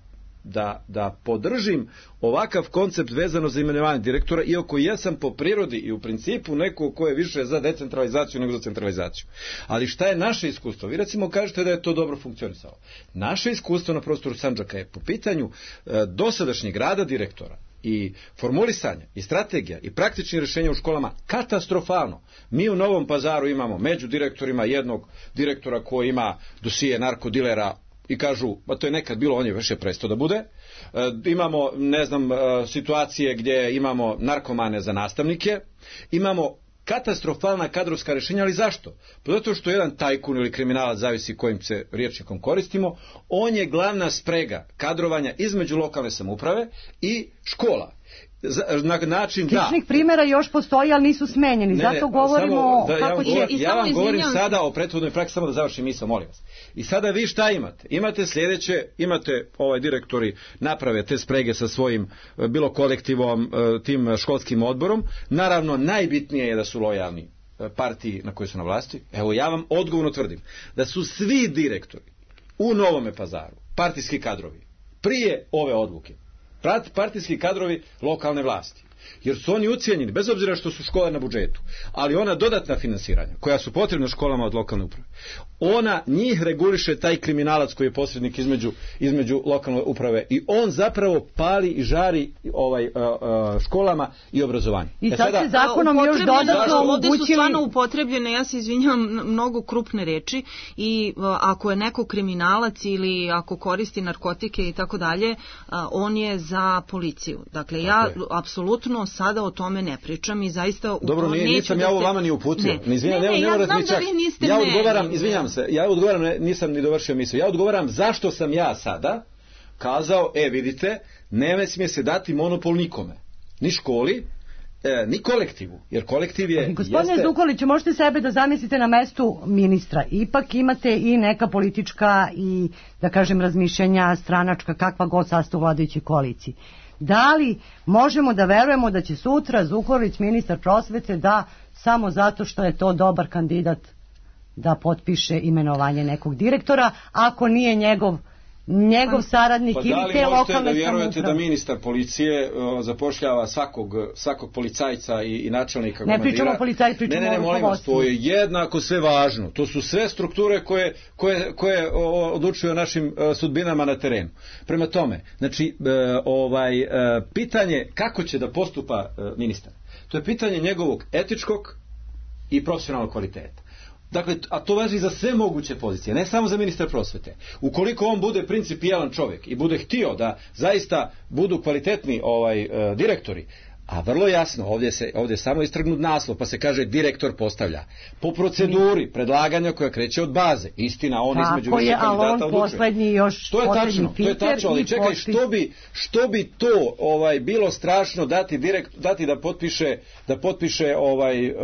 Da, da podržim ovakav koncept vezano za imenovanje direktora, iako ja sam po prirodi i u principu neko ko je više za decentralizaciju nego za centralizaciju. Ali šta je naše iskustvo? Vi recimo kažete da je to dobro funkcionisalo. Naše iskustvo na prostoru Sandžaka je po pitanju e, dosadašnjeg rada direktora i formulisanja i strategija i praktičnih rješenja u školama katastrofalno. Mi u Novom Pazaru imamo među direktorima jednog direktora koji ima dosije narkodilera i kažu, pa to je nekad bilo, on je više prestao da bude. E, imamo, ne znam, e, situacije gdje imamo narkomane za nastavnike, imamo katastrofalna kadrovska rješenja, ali zašto? Pa zato što jedan tajkun ili kriminalac, zavisi kojim se riječnikom koristimo, on je glavna sprega kadrovanja između lokalne samouprave i škola. Na način da... Sličnih primjera još postoji, ali nisu smenjeni. Ne, Zato ne, govorimo samo da, ja kako vam, će... govor, I ja samo vam govorim izvinjavam se. sada o prethodnoj praksi, samo da završim misao, molim vas. I sada vi šta imate? Imate sljedeće, imate ovaj direktori naprave te sprege sa svojim e, bilo kolektivom, e, tim školskim odborom. Naravno, najbitnije je da su lojalni e, partiji na kojoj su na vlasti. Evo, ja vam odgovorno tvrdim da su svi direktori u Novome Pazaru, partijski kadrovi, prije ove odluke, partijski kadrovi lokalne vlasti. Jer su oni ucijenjeni, bez obzira što su škole na budžetu, ali ona dodatna finansiranja koja su potrebna školama od lokalne uprave, ona njih reguliše taj kriminalac koji je posrednik između, između lokalne uprave i on zapravo pali i žari ovaj, uh, uh, školama i obrazovanju. I sad se zakonom još Upotrebljene- dodatno ovde su omogućili... stvarno upotrebljene, ja se izvinjavam, mnogo krupne reči i a, ako je neko kriminalac ili ako koristi narkotike i tako dalje, a, on je za policiju. Dakle, ja Tako je. apsolutno sada o tome ne pričam i zaista u Dobro, to nije, neću nisam da ja ovo se- vama ni uputio. Ne, Ni izvinjam, ne, ne, ne, ne ja morate znam mi da čak- vi niste Ja meni. odgovaram, izvinjam se, ja odgovaram, ne, nisam ni dovršio misao. Ja odgovaram zašto sam ja sada kazao, e vidite, ne smije se dati monopol nikome. Ni školi, e, ni kolektivu, jer kolektiv je... Gospodine jeste... Zukoliću, možete sebe da zamislite na mestu ministra. Ipak imate i neka politička i, da kažem, razmišljanja stranačka, kakva god sastav u vladajućoj koaliciji. Da li možemo da verujemo da će sutra Zukolić, ministar prosvete, da samo zato što je to dobar kandidat da potpiše imenovanje nekog direktora, ako nije njegov njegov saradnik pa ili te lokalne samouprave? Pa da li možete da vjerujete da ministar policije uh, zapošljava svakog, svakog policajca i, i načelnika ne komandira? Pričamo o policajcu, pričamo ne, ne, ne, molim vas, to je jednako sve važno. To su sve strukture koje, koje, koje o, odlučuju o našim uh, sudbinama na terenu. Prema tome, znači, uh, ovaj, uh, pitanje kako će da postupa uh, ministar, to je pitanje njegovog etičkog i profesionalnog kvaliteta. Dakle, a to važi za sve moguće pozicije, ne samo za ministra prosvete. Ukoliko on bude principijelan čovjek i bude htio da zaista budu kvalitetni ovaj e, direktori, a vrlo jasno, ovdje se ovdje je samo istrgnut naslov, pa se kaže direktor postavlja. Po proceduri predlaganja koja kreće od baze. Istina, on tako između više kandidata odlučuje. Poslednji još to je tačno, to je tačno, ali čekaj, što bi, što bi to ovaj bilo strašno dati direkt, dati da potpiše da potpiše ovaj uh,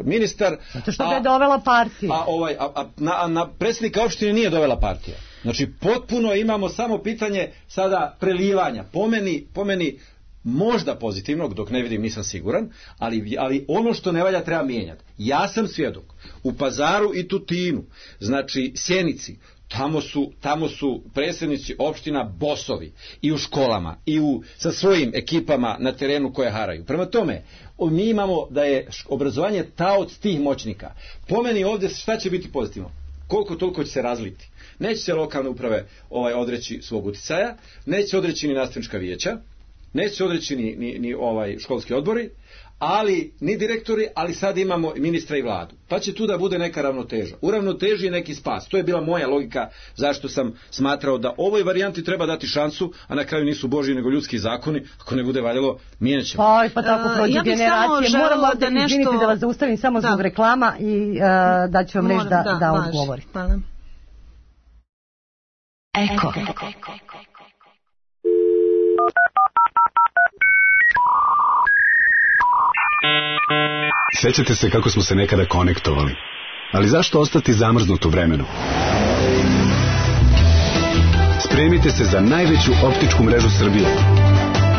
ministar. Zato što ga je dovela partija. A ovaj a, a, na, na predsjednika opštine nije dovela partija. Znači potpuno imamo samo pitanje sada prelivanja. Po meni, po meni možda pozitivnog, dok ne vidim nisam siguran, ali, ali ono što ne valja treba mijenjati. Ja sam svjedok. U Pazaru i Tutinu, znači Sjenici, tamo su, tamo su predsjednici opština bosovi i u školama i u, sa svojim ekipama na terenu koje haraju. Prema tome, mi imamo da je obrazovanje taoc tih moćnika. Po meni ovdje šta će biti pozitivno? Koliko toliko će se razliti. Neće se lokalne uprave ovaj, odreći svog uticaja, neće se odreći ni nastavnička vijeća, neće se odreći ni, ni, ni ovaj školski odbori, ali ni direktori, ali sad imamo ministra i vladu. Pa će tu da bude neka ravnoteža. U ravnoteži je neki spas. To je bila moja logika zašto sam smatrao da ovoj varijanti treba dati šansu, a na kraju nisu božji nego ljudski zakoni. Ako ne bude valjalo, mijenjat ćemo. Pa, pa tako prođe uh, ja generacije. Moramo da, nešto... izvinite da vas zaustavim samo da. zbog reklama i uh, da ću vam reći da, da, da odgovori. Hvala. Eko. Sjećate se kako smo se nekada konektovali, ali zašto ostati zamrznut u vremenu? Spremite se za najveću optičku mrežu Srbije.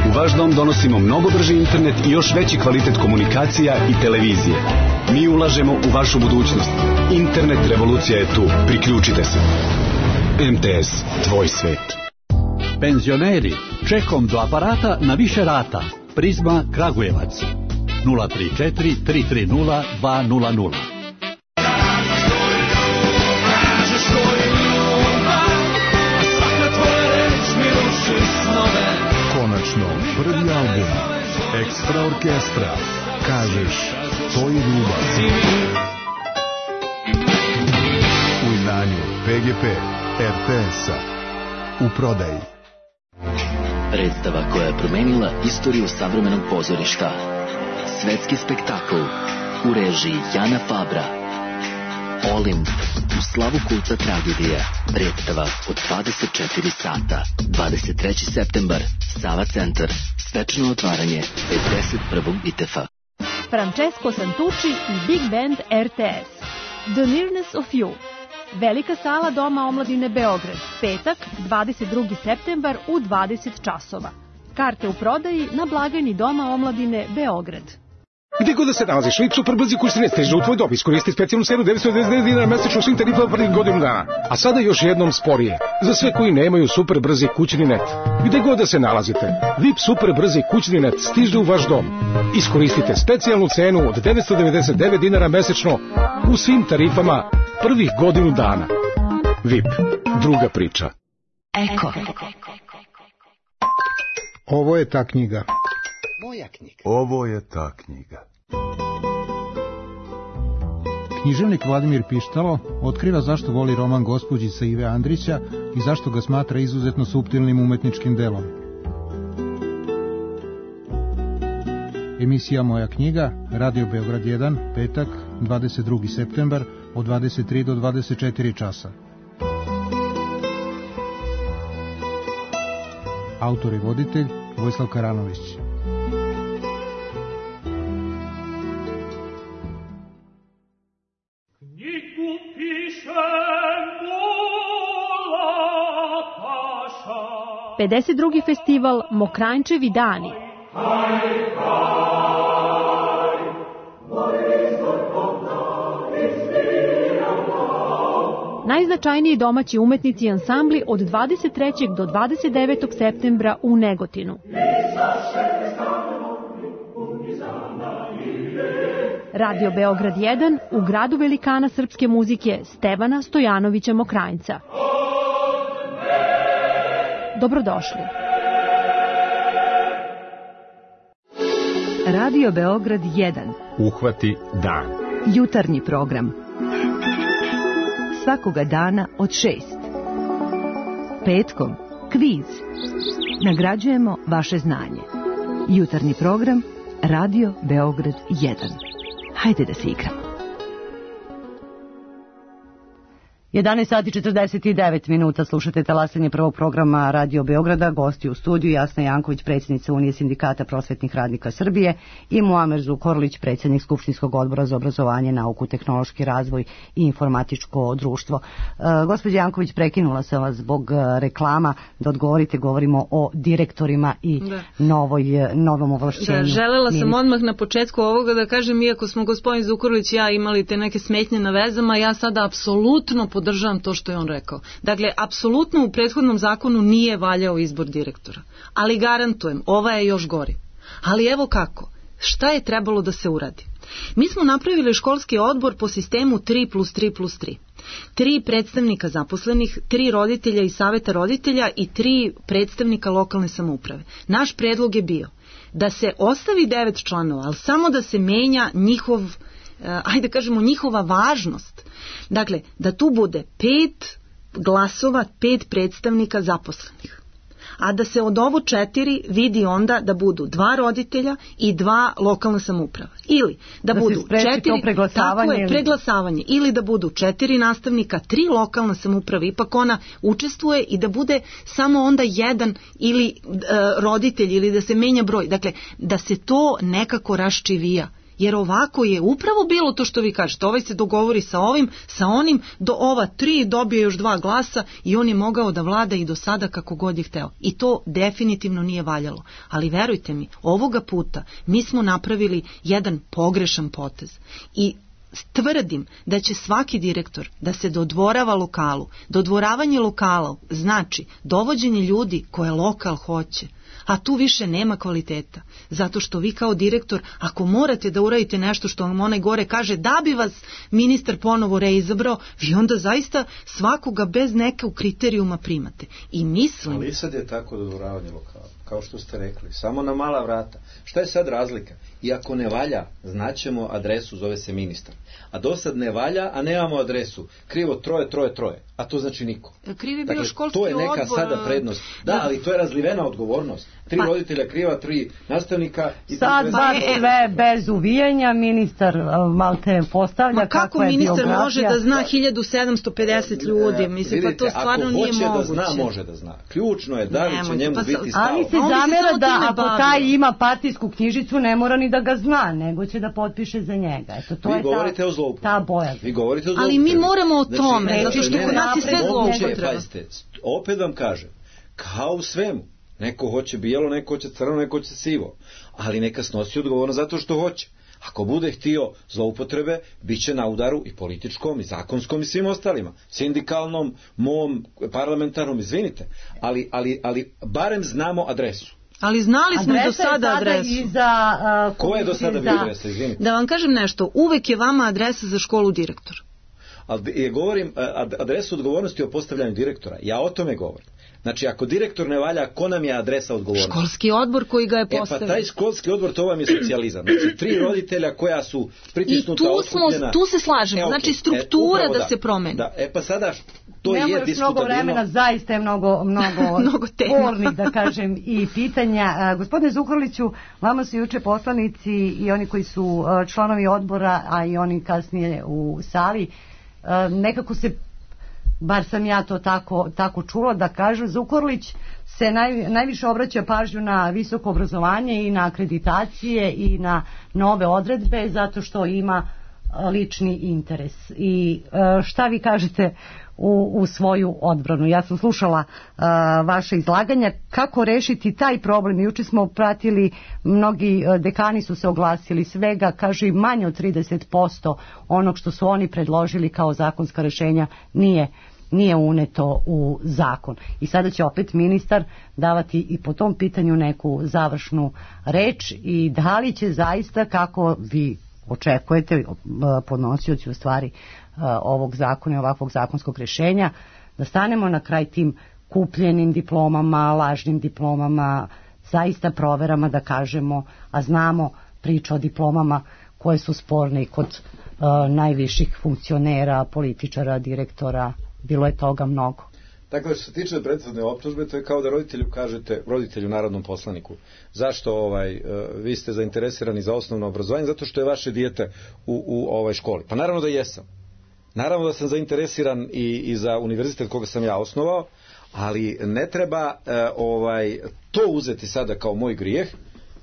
U vaš dom donosimo mnogo brži internet i još veći kvalitet komunikacija i televizije. Mi ulažemo u vašu budućnost. Internet revolucija je tu. Priključite se. M T S, tvoj svet. Penzioneri, čekom do aparata na više rata. Prizma Kragujevac. nula tri četiri tri tri nula dva nula nula. Konačno, prvi album Ekstra orkestra. Kažeš, to je ljubav. U izdanju P G P R T S-a. U prodaji. Predstava koja je promenila istoriju savremenog pozorišta. Svetski spektakl u režiji Jana Fabra. Olimp u slavu kulta tragedije. Predstava od dvadeset četiri sata. dvadeset treći septembar. Sava centar. Svečano otvaranje pedeset prvog I T F-a. Francesco Santucci i Big Band R T S. The Nearness of You. Velika sala Doma omladine Beograd. Petak, dvadeset drugi septembar u dvadeset časova. Karte u prodaji na blagajni Doma omladine Beograd. Gde god da se nalaziš, Vip Superbrzi kućne stiže u tvoj dom. Iskoristi specijalnu cenu devetsto devedeset devet dinara mesečno svim tarifama prvih godinu dana. A sada još jednom sporije. Za sve koji nemaju Superbrzi kućni net. Gde god da se nalazite, Vip Superbrzi kućni net stiže u vaš dom. Iskoristite specijalnu cenu od devetsto devedeset devet dinara mesečno u svim tarifama prvih godinu dana. Vip, druga priča. Eko. Ovo je ta knjiga. Moja knjiga. Ovo je ta knjiga. Književnik Vladimir Pištalo otkriva zašto voli roman Gospođica Ive Andrića i zašto ga smatra izuzetno suptilnim umetničkim delom. Emisija Moja knjiga, Radio Beograd jedan, petak, dvadeset drugi septembar, od dvadeset tri do dvadeset četiri časa. Autor i voditelj Vojislav Karanović. pedeset drugi festival Mokranjčevi dani. Najznačajniji domaći umetnici i ansambli od dvadeset trećeg do dvadeset devetog septembra u Negotinu. Radio Beograd jedan u gradu velikana srpske muzike Stevana Stojanovića Mokranjca. Dobrodošli. Radio Beograd jedan. Uhvati dan. Jutarnji program. Svakoga dana od šest. Petkom kviz. Nagrađujemo vaše znanje. Jutarnji program Radio Beograd jedan. Hajde da se igramo. jedanaest sati četrdeset devet minuta, slušate talasanje prvog programa Radio Beograda, gosti u studiju Jasna Janković, predsjednica Unije sindikata prosvetnih radnika Srbije i Muamer Zukorlić, predsjednik Skupštinskog odbora za obrazovanje, nauku, tehnološki razvoj i informatičko društvo. E, gospođa Janković, prekinula sam vas zbog reklama da odgovorite, govorimo o direktorima i da. novoj, novom ovlašćenju. Da, želela sam odmah na početku ovoga da kažem, iako smo gospodin Zukorlić i ja imali te neke smetnje na vezama, ja sada apsolutno pod podržavam to što je on rekao. Dakle, apsolutno u prethodnom zakonu nije valjao izbor direktora. Ali garantujem, ova je još gori. Ali evo kako. Šta je trebalo da se uradi? Mi smo napravili školski odbor po sistemu tri plus tri plus tri. Tri predstavnika zaposlenih, tri roditelja i saveta roditelja i tri predstavnika lokalne samouprave. Naš predlog je bio da se ostavi devet članova, ali samo da se menja njihov, ajde kažemo, njihova važnost. Dakle, da tu bude pet glasova, pet predstavnika zaposlenih. A da se od ovo četiri vidi onda da budu dva roditelja i dva lokalna samouprava. Ili da, da budu četiri, tako je, preglasavanje, ili da budu četiri nastavnika, tri lokalna samouprava, ipak ona učestvuje, i da bude samo onda jedan ili e, roditelj, ili da se menja broj. Dakle, da se to nekako raščivija. Jer ovako je upravo bilo to što vi kažete, ovaj se dogovori sa ovim, sa onim, do ova tri dobije još dva glasa i on je mogao da vlada i do sada kako god je hteo. I to definitivno nije valjalo. Ali verujte mi, ovoga puta mi smo napravili jedan pogrešan potez. I tvrdim da će svaki direktor da se dodvorava lokalu. Dodvoravanje lokalu znači dovođenje ljudi koje lokal hoće. A tu više nema kvaliteta. Zato što vi kao direktor, ako morate da uradite nešto što vam onaj gore kaže da bi vas ministar ponovo reizabrao, vi onda zaista svakoga bez nekog kriterijuma primate. I mislim... Ali sad je tako dodvoravanje lokala, kao što ste rekli, samo na mala vrata. Šta je sad razlika? I ako ne valja, znaćemo adresu, zove se ministar. A do sad ne valja, a nemamo adresu. Krivo troje, troje, troje. A to znači niko. Krivi je bio dakle, školski odbor. To je neka odbor... sada prednost. Da, da, ali to je razlivena odgovornost. Tri pa. roditelja kriva, tri nastavnika. I sad baš sve bez uvijanja, ministar malte postavlja Ma kako je ministar biografija. može da zna hiljadu sedamsto pedeset ljudi? Mislim, vidite, pa to stvarno nije moguće. Ako hoće da zna, može da zna. Ključno je da li će njemu pa, biti stalo. Ali se zamera da ako bavio. taj ima partijsku knjižicu, ne mora ni da ga zna, nego će da potpiše za njega. Eto, to vi je govorite ta, o zloupotrebi. Ta boja. Vi govorite o zloupotrebi. Ali mi moramo o tome, znači, zato što kod nas je sve zloupotreba. Pazite, opet vam kažem, kao u svemu, neko hoće bijelo, neko hoće crno, neko hoće sivo, ali neka snosi odgovornost zato što hoće. Ako bude htio zloupotrebe, bit će na udaru i političkom, i zakonskom, i svim ostalima. Sindikalnom, mom, parlamentarnom, izvinite. Ali, ali, ali barem znamo adresu. Ali znali smo do sada adresu. Iza, uh, Ko je do sada bio adresa, izvinite? Da vam kažem nešto, uvek je vama adresa za školu direktor. Ali je govorim adresu odgovornosti o postavljanju direktora. Ja o tome govorim. Znači, ako direktor ne valja, ko nam je adresa odgovornosti? Školski odbor koji ga je postavio. E pa taj školski odbor, to vam je socijalizam. Znači, tri roditelja koja su pritisnuta, I tu, smo, tu se slažemo. E, okay. Znači, struktura e, da, da se promeni. Da. E pa sada, to Nemo je još diskutabilno. mnogo vremena, zaista je mnogo, mnogo, mnogo spornih, da kažem, i pitanja. A, gospodine Zukorliću, vama su juče poslanici i oni koji su a, članovi odbora, a i oni kasnije u sali, a, nekako se, bar sam ja to tako, tako čula, da kažu, Zukorlić se naj, najviše obraća pažnju na visoko obrazovanje i na akreditacije i na nove odredbe, zato što ima lični interes. I šta vi kažete u, u svoju odbranu. Ja sam slušala uh, vaše izlaganja. Kako rešiti taj problem? Juče smo pratili, mnogi uh, dekani su se oglasili, svega, kaže, manje od trideset posto onog što su oni predložili kao zakonska rešenja nije nije uneto u zakon. I sada će opet ministar davati i po tom pitanju neku završnu reč i da li će zaista, kako vi očekujete, podnosioci u stvari ovog zakona i ovakvog zakonskog rješenja, da stanemo na kraj tim kupljenim diplomama, lažnim diplomama, zaista proverama, da kažemo, a znamo priča o diplomama koje su sporne i kod uh, najviših funkcionera, političara, direktora, bilo je toga mnogo. Dakle, što se tiče prethodne optužbe, to je kao da roditelju kažete, roditelju, narodnom poslaniku, zašto ovaj, vi ste zainteresirani za osnovno obrazovanje, zato što je vaše dijete u, u ovoj školi. Pa naravno da jesam. Naravno da sam zainteresiran i, i za univerzitet koga sam ja osnovao, ali ne treba eh, ovaj, to uzeti sada kao moj grijeh.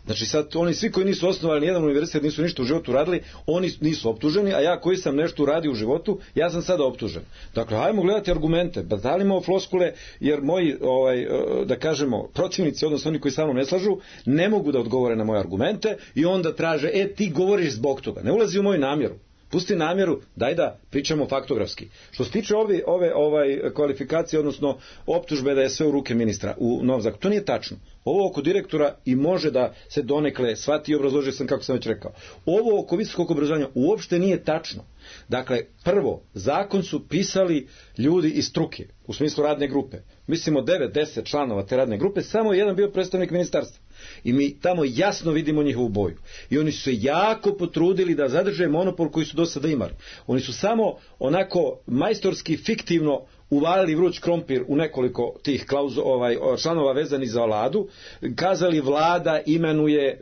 Znači sad oni svi koji nisu osnovali nijedan univerzitet, nisu ništa u životu radili, oni nisu optuženi, a ja koji sam nešto uradio u životu, ja sam sada optužen. Dakle, hajmo gledati argumente, batalimo floskule, jer moji, ovaj, da kažemo, protivnici, odnosno oni koji sa mnom ne slažu, ne mogu da odgovore na moje argumente i onda traže, e, ti govoriš zbog toga. Ne ulazi u moju namjeru. Pusti namjeru, daj da pričamo faktografski. Što se tiče ove, ove ovaj, kvalifikacije, odnosno optužbe da je sve u ruke ministra u novom zakonu, to nije tačno. Ovo oko direktora i može da se donekle shvati i obrazložio sam kako sam već rekao. Ovo oko visokog obrazovanja uopšte nije tačno. Dakle, prvo, zakon su pisali ljudi iz struke, u smislu radne grupe. Mislimo devet deset članova te radne grupe, samo jedan bio predstavnik ministarstva. I mi tamo jasno vidimo njihovu boju. I oni su se jako potrudili da zadrže monopol koji su do sada imali. Oni su samo onako majstorski, fiktivno uvalili vruć krompir u nekoliko tih klauzu, ovaj, članova vezanih za vladu, kazali vlada imenuje e,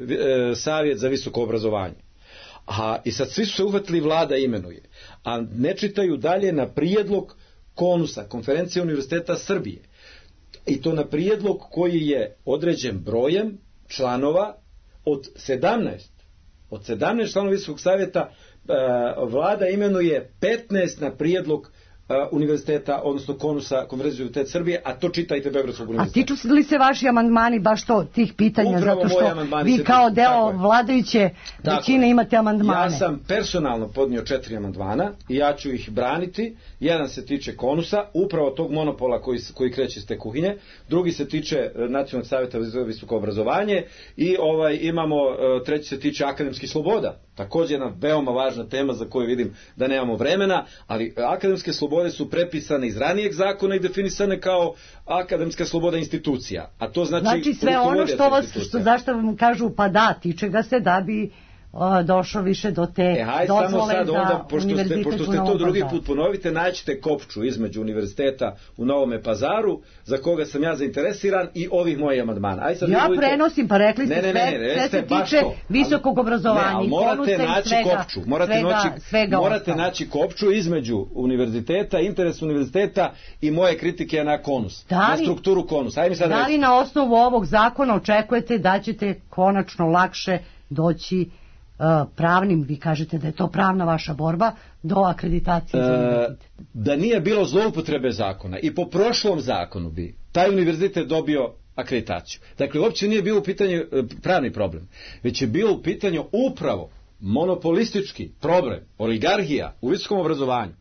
savjet za visoko obrazovanje. A, i sad svi su se uhvatili vlada imenuje. A ne čitaju dalje na prijedlog Konusa, Konferencije univerziteta Srbije. I to na prijedlog koji je određen brojem članova od sedamnaest. Od sedamnaest članova Visokog savjeta e, vlada imenuje petnaest na prijedlog univerziteta, odnosno Konusa, Konferencije univerziteta Srbije, a to čitajte Beogradskog univerziteta. A tiču li se vaši amandmani baš to, tih pitanja, upravo zato što vi kao deo vladajuće većine imate amandmane? Ja sam personalno podnio četiri amandmana i ja ću ih braniti. Jedan se tiče Konusa, upravo tog monopola koji, koji kreće iz te kuhinje. Drugi se tiče Nacionalnog savjeta za visoko obrazovanje i ovaj, imamo, treći se tiče akademskih sloboda. Također jedna veoma važna tema za koju vidim da nemamo vremena, ali akademske slobode su prepisane iz ranijeg zakona i definisane kao akademska sloboda institucija. A to znači, znači sve ono što vas, što, zašto vam kažu pa da, tiče ga se da bi o, došlo više do te e, haj, dozvole samo sad, za onda, pošto ste, pošto ste to drugi Pazaru. put ponovite, naćete kopču između univerziteta u Novome Pazaru, za koga sam ja zainteresiran, i ovih mojih amandmana. Aj, sad ja budite... prenosim, pa rekli ste, ne, ne, ne, ne, sve, sve se tiče to, visokog obrazovanja. Ne, ali morate naći svega, kopču. Morate, svega, noći, svega morate ostalo. naći kopču između univerziteta, interes univerziteta i moje kritike na Konus. Da li, na strukturu Konus. Aj mi sad da li na osnovu ovog zakona očekujete da ćete konačno lakše doći pravnim, vi kažete da je to pravna vaša borba, do akreditacije za univerzitet? E, da nije bilo zloupotrebe zakona i po prošlom zakonu bi taj univerzitet dobio akreditaciju. Dakle, uopće nije bilo u pitanju pravni problem, već je bilo u pitanju upravo monopolistički problem, oligarhija u visokom obrazovanju,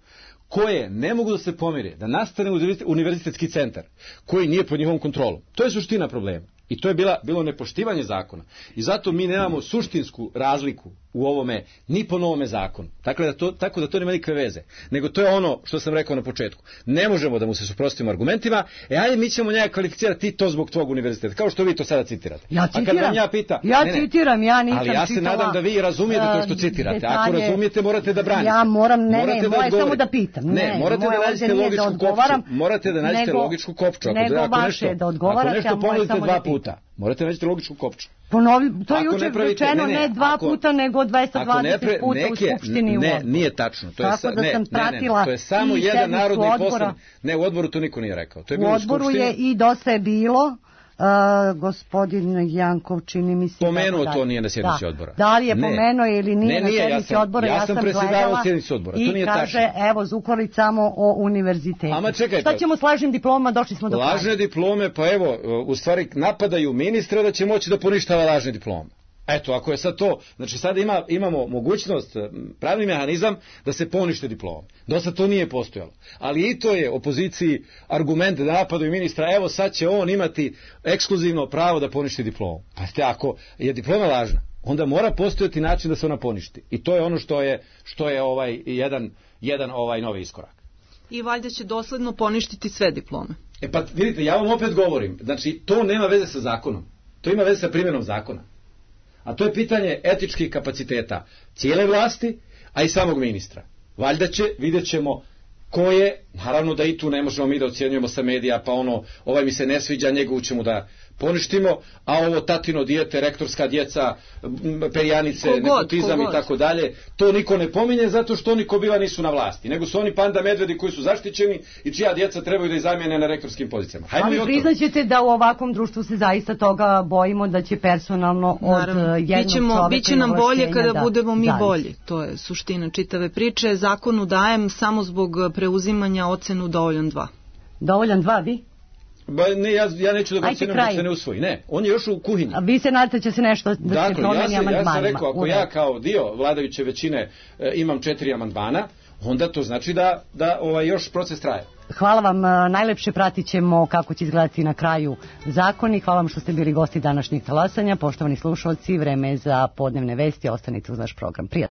koje ne mogu da se pomire, da nastane univerzitetski centar koji nije pod njihovom kontrolom. To je suština problema. I to je bila, bilo nepoštivanje zakona. I zato mi nemamo suštinsku razliku u ovome, ni po novome zakonu. Dakle, da to, tako da to nema nikakve veze. Nego to je ono što sam rekao na početku. Ne možemo da mu se suprotstavimo argumentima, e ajde mi ćemo njega kvalificirati ti to zbog tvog univerziteta. Kao što vi to sada citirate. Ja citiram. A kad vam ja pita, ja ne, ne, citiram, ja nisam ali ja se čitala, nadam da vi razumijete to što citirate. Detalje, ako razumijete, morate da branite. Ja moram, ne, morate ne, da moje samo da pitam. Ne, ne morate da nađete logičku kopču. Morate da nađete logičku kopču. Ako, nego ako vaše nešto, da odgovarate, ako nešto ponudite dva da puta, morate naći logičku kopču. Ponovi, to je ako juče pravite, rečeno ne, ne, ne dva ako, puta, nego dvesta dvadeset pre, puta neke, u Skupštini. Ne, nije tačno. To je, sa, da ne, sam pratila ne, ne, to je samo jedan narodni odbora. poslanik. Ne, u odboru to niko nije rekao. To je u bilo odboru u je i dosta je bilo Uh, gospodin Jankov čini mi se... Pomenuo da, to nije na sjednici da. odbora. Da li je ne. pomenuo ili nije ne, nije, na sjednici ja sam, odbora, ja, ja sam sam predsjedavao gledala sjednici odbora, to i nije kaže, tačno. evo, Zukorlić samo o univerzitetu. Ama čekajte. Šta ćemo s lažnim diplomama, došli smo do kraja. Lažne diplome, pa evo, u stvari napadaju ministra da će moći da poništava lažne diplome. Eto, ako je sad to, znači sad ima, imamo mogućnost, pravni mehanizam da se ponište diplome. Do sad to nije postojalo. Ali i to je opoziciji argument da napadaju ministra, evo sad će on imati ekskluzivno pravo da poništi diplomu. Pa ste, ako je diploma lažna, onda mora postojati način da se ona poništi. I to je ono što je, što je ovaj jedan, jedan ovaj novi iskorak. I valjda će dosledno poništiti sve diplome. E pa vidite, ja vam opet govorim, znači to nema veze sa zakonom. To ima veze sa primjenom zakona. A to je pitanje etičkih kapaciteta cijele vlasti, a i samog ministra. Valjda će, vidjet ćemo ko je, naravno da i tu ne možemo mi da ocjenjujemo sa medija, pa ono, ovaj mi se ne sviđa, njegovu ćemo da poništimo, a ovo tatino dijete, rektorska djeca, perjanice, kogod, nepotizam kogod. i tako dalje, to niko ne pominje zato što oni ko bila nisu na vlasti, nego su oni panda medvedi koji su zaštićeni i čija djeca trebaju da ih zamijene na rektorskim pozicijama. Hajmo ali priznaćete da u ovakvom društvu se zaista toga bojimo da će personalno od Naravno. jednog Bićemo, čoveka biće nam bolje kada da budemo mi zavisi. bolji. To je suština čitave priče. Zakonu dajem samo zbog preuzimanja ocenu dovoljan dva. Dovoljan dva, vi? Ba, ne, ja, ja neću da ga ocenim da se ne usvoji. Ne, on je još u kuhinji. A vi se nadate će se nešto da dakle, se promeni ja, amandmanima. ja sam rekao, ako ja kao dio vladajuće većine e, imam četiri amandmana, onda to znači da, da ovaj, još proces traje. Hvala vam, najlepše pratit ćemo kako će izgledati na kraju zakoni. Hvala vam što ste bili gosti današnjeg talasanja. Poštovani slušalci, vreme je za podnevne vesti, ostanite uz naš program. Prijatno.